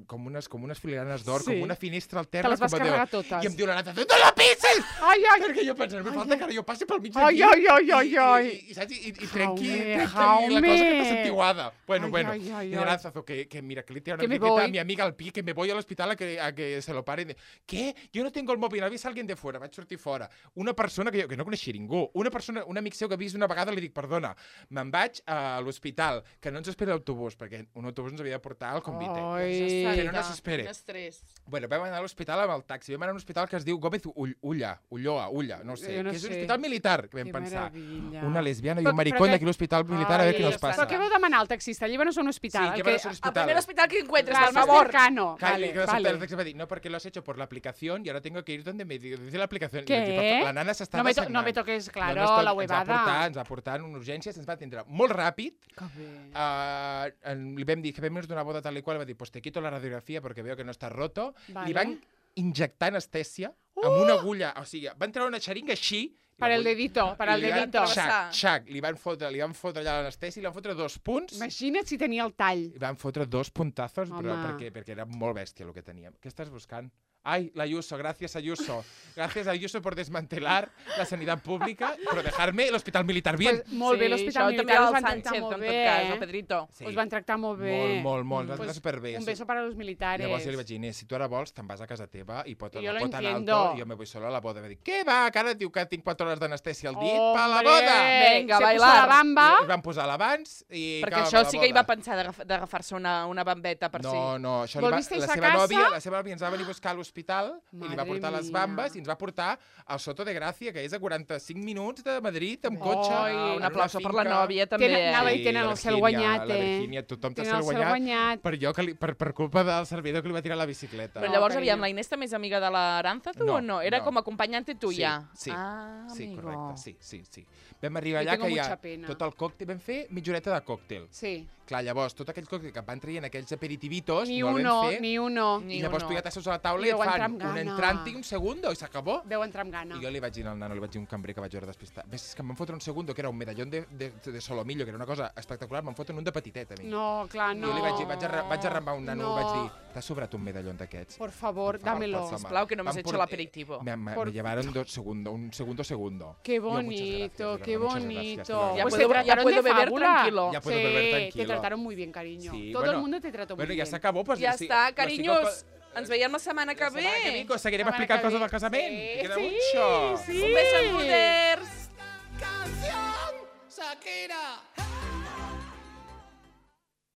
com unes filigranes d'or, Sí. com una finestra al Te terra. les vas com a d'or. carregar totes. I em diu l'Aranzazu, no la pisis! Ai, ai, Perquè jo pensava, me falta que ara jo passi pel mig ai, d'aquí. ai, ai, ai, ai. I saps? I trenqui la Jaume. cosa que t'ha sentiguada. Bueno, Ai, bueno. ai, ai, Y ai. Aranzazu, que mira, que le tira una Que me etiqueta a voy. mi amiga al pie, que me voy al hospital a que se lo pare. ¿Qué? Yo no tengo el móvil, avisa a alguien de fuera. Vaig sortir fora. Una persona que no coneixia ningú. Un amic seu que he vist una vegada, li dic, perdona, me'n vaig a l'hospital, que no ens espera l'autobús, perquè un autobús ens havia de portar al convite. Ai. Que no nos espere. Quin estrès. Bueno, vam anar a l'hospital amb el taxi. Vam anar a un hospital que es diu Gómez Ulloa, no sé, Jo no que és un sé. hospital militar, que vam Que pensar. meravella. Una lesbiana i Però- un maricón però d'aquí a l'hospital militar, a veure què nos passa. Però què vau demanar al taxista? Llévanos a un hospital. Sí, El llévanos a un El hospital. primer hospital que encuentres, Claro, por más favor. cercano. Vale, Vale. El taxi va dir, no, porque lo has hecho por la aplicación y ahora tengo que ir donde me dice la aplicación. Què? I vaig dir, la nana s'estava sagnant. No me toques, claro, No, la huevada. Ens va portar en una urgència, ens va atendre molt ràpid. Que bé. Li vam dir que vam d'una boda tal i qual, va dir, pues te quito la radiografía porque veo que no está roto. Vale. Li van injectar anestèsia amb una agulla, o sigui, van treure una xeringa així. Per el dedito, per el i li van- dedito. Xac, li van fotre allà l'anestèsia i li van fotre 2 punts. Imagina't si tenia el tall. I van fotre 2 puntazos, però Home. perquè era molt bèstia el que teníem. Què estàs buscant? Ay, la Ayuso, gracias Ayuso. Gracias Ayuso por desmantelar la sanidad pública, pero dejarme el hospital militar bien. Pues, molt bé, Sí, l'hospital això militar també us el van tractar Sánchez, molt en bé, tot cas, el Pedrito. Sí. Us van tractar molt bé. Molt, ens van Pues, tractar superbé. Un beso para los militares. Llavors jo li vaig dir, Inés, si tu ara vols, te'n vas a casa teva i pot, Jo la lo pot en entiendo. alto, i jo me voy solo a la boda. Va dir, què va, que ara et diu que tinc 4 hores d'anestèsia al dit Hombre, per la boda? Venga, se bailar. puso la bamba. I van posar l'abans i... Perquè acaba això la sí que hi boda. va pensar d'agafar-se una bambeta per si. No, això ¿Volvisteis la a seva casa? nòvia, la seva nòvia ens va venir a buscar a l'hospital i li va Madre portar les mía. bambes i ens va portar al Soto de Gràcia, que és a 45 minuts de Madrid, amb cotxe. Ai, en Un una aplauso per la finca. nòvia, també. Anava a dir, tenen la el cel Virgínia, guanyat, La eh? Virgínia, tothom té el Tenen cel el cel guanyat. guanyat. Per culpa del servidor que li va tirar la bicicleta. Però llavors, carinyo. aviam, la Inés també és amiga de l'Aránzazu No, o no? Era no. com acompanyante tuya. Sí, Ah, sí, amigo. correcte, sí. Vam arribar Yo allà tengo que mucha ja pena. tot el còctel, vam fer mitja horeta de còctel. Sí. Clar, llavors, tot aquell còctel que van traient aquells aperitivitos, Ni no el uno, vam fer. ni uno. Ni I llavors uno. tu ja t'asseus a la taula I i et deu entrar fan amb un gana. entrante i un segundo i s'acabó. Deu entrar amb gana. I jo li vaig dir al nano, li vaig dir a un cambrer que vaig veure despistat. Ves, és que em van fotre un segundo, que era un medallón de solomillo, que era una cosa espectacular, me'n foten un de petitet, a mi. No, clar, no. I jo li vaig dir, vaig arrambar un nano, No. vaig dir, t'ha sobrat un medallón d'aquests? Por favor, Por favor, dámelo. por favor. Sisplau, que no m'has Van hecho por- l'aperitivo. Me llevaron un segundo. Qué Yo, muchas bonito, gracias, qué de verdad, muchas bonito. gracias, de verdad. Ya Pues puedo- te ya trataron puedo de beber fábula. tranquilo. Ya puedo Sí, beber tranquilo. te trataron muy bien, cariño. Sí, Todo bueno, el mundo te trató muy Bueno, bien. ja s'acabó, pues Ja lo sigo- està, lo sigo carinyos. co- Ens veiem la setmana que La setmana que ve. ve seguirem La setmana explicant que coses ve. del casament. Sí, Que queda sí, mucho. sí. Un beso en Buders. Canción, Shakira.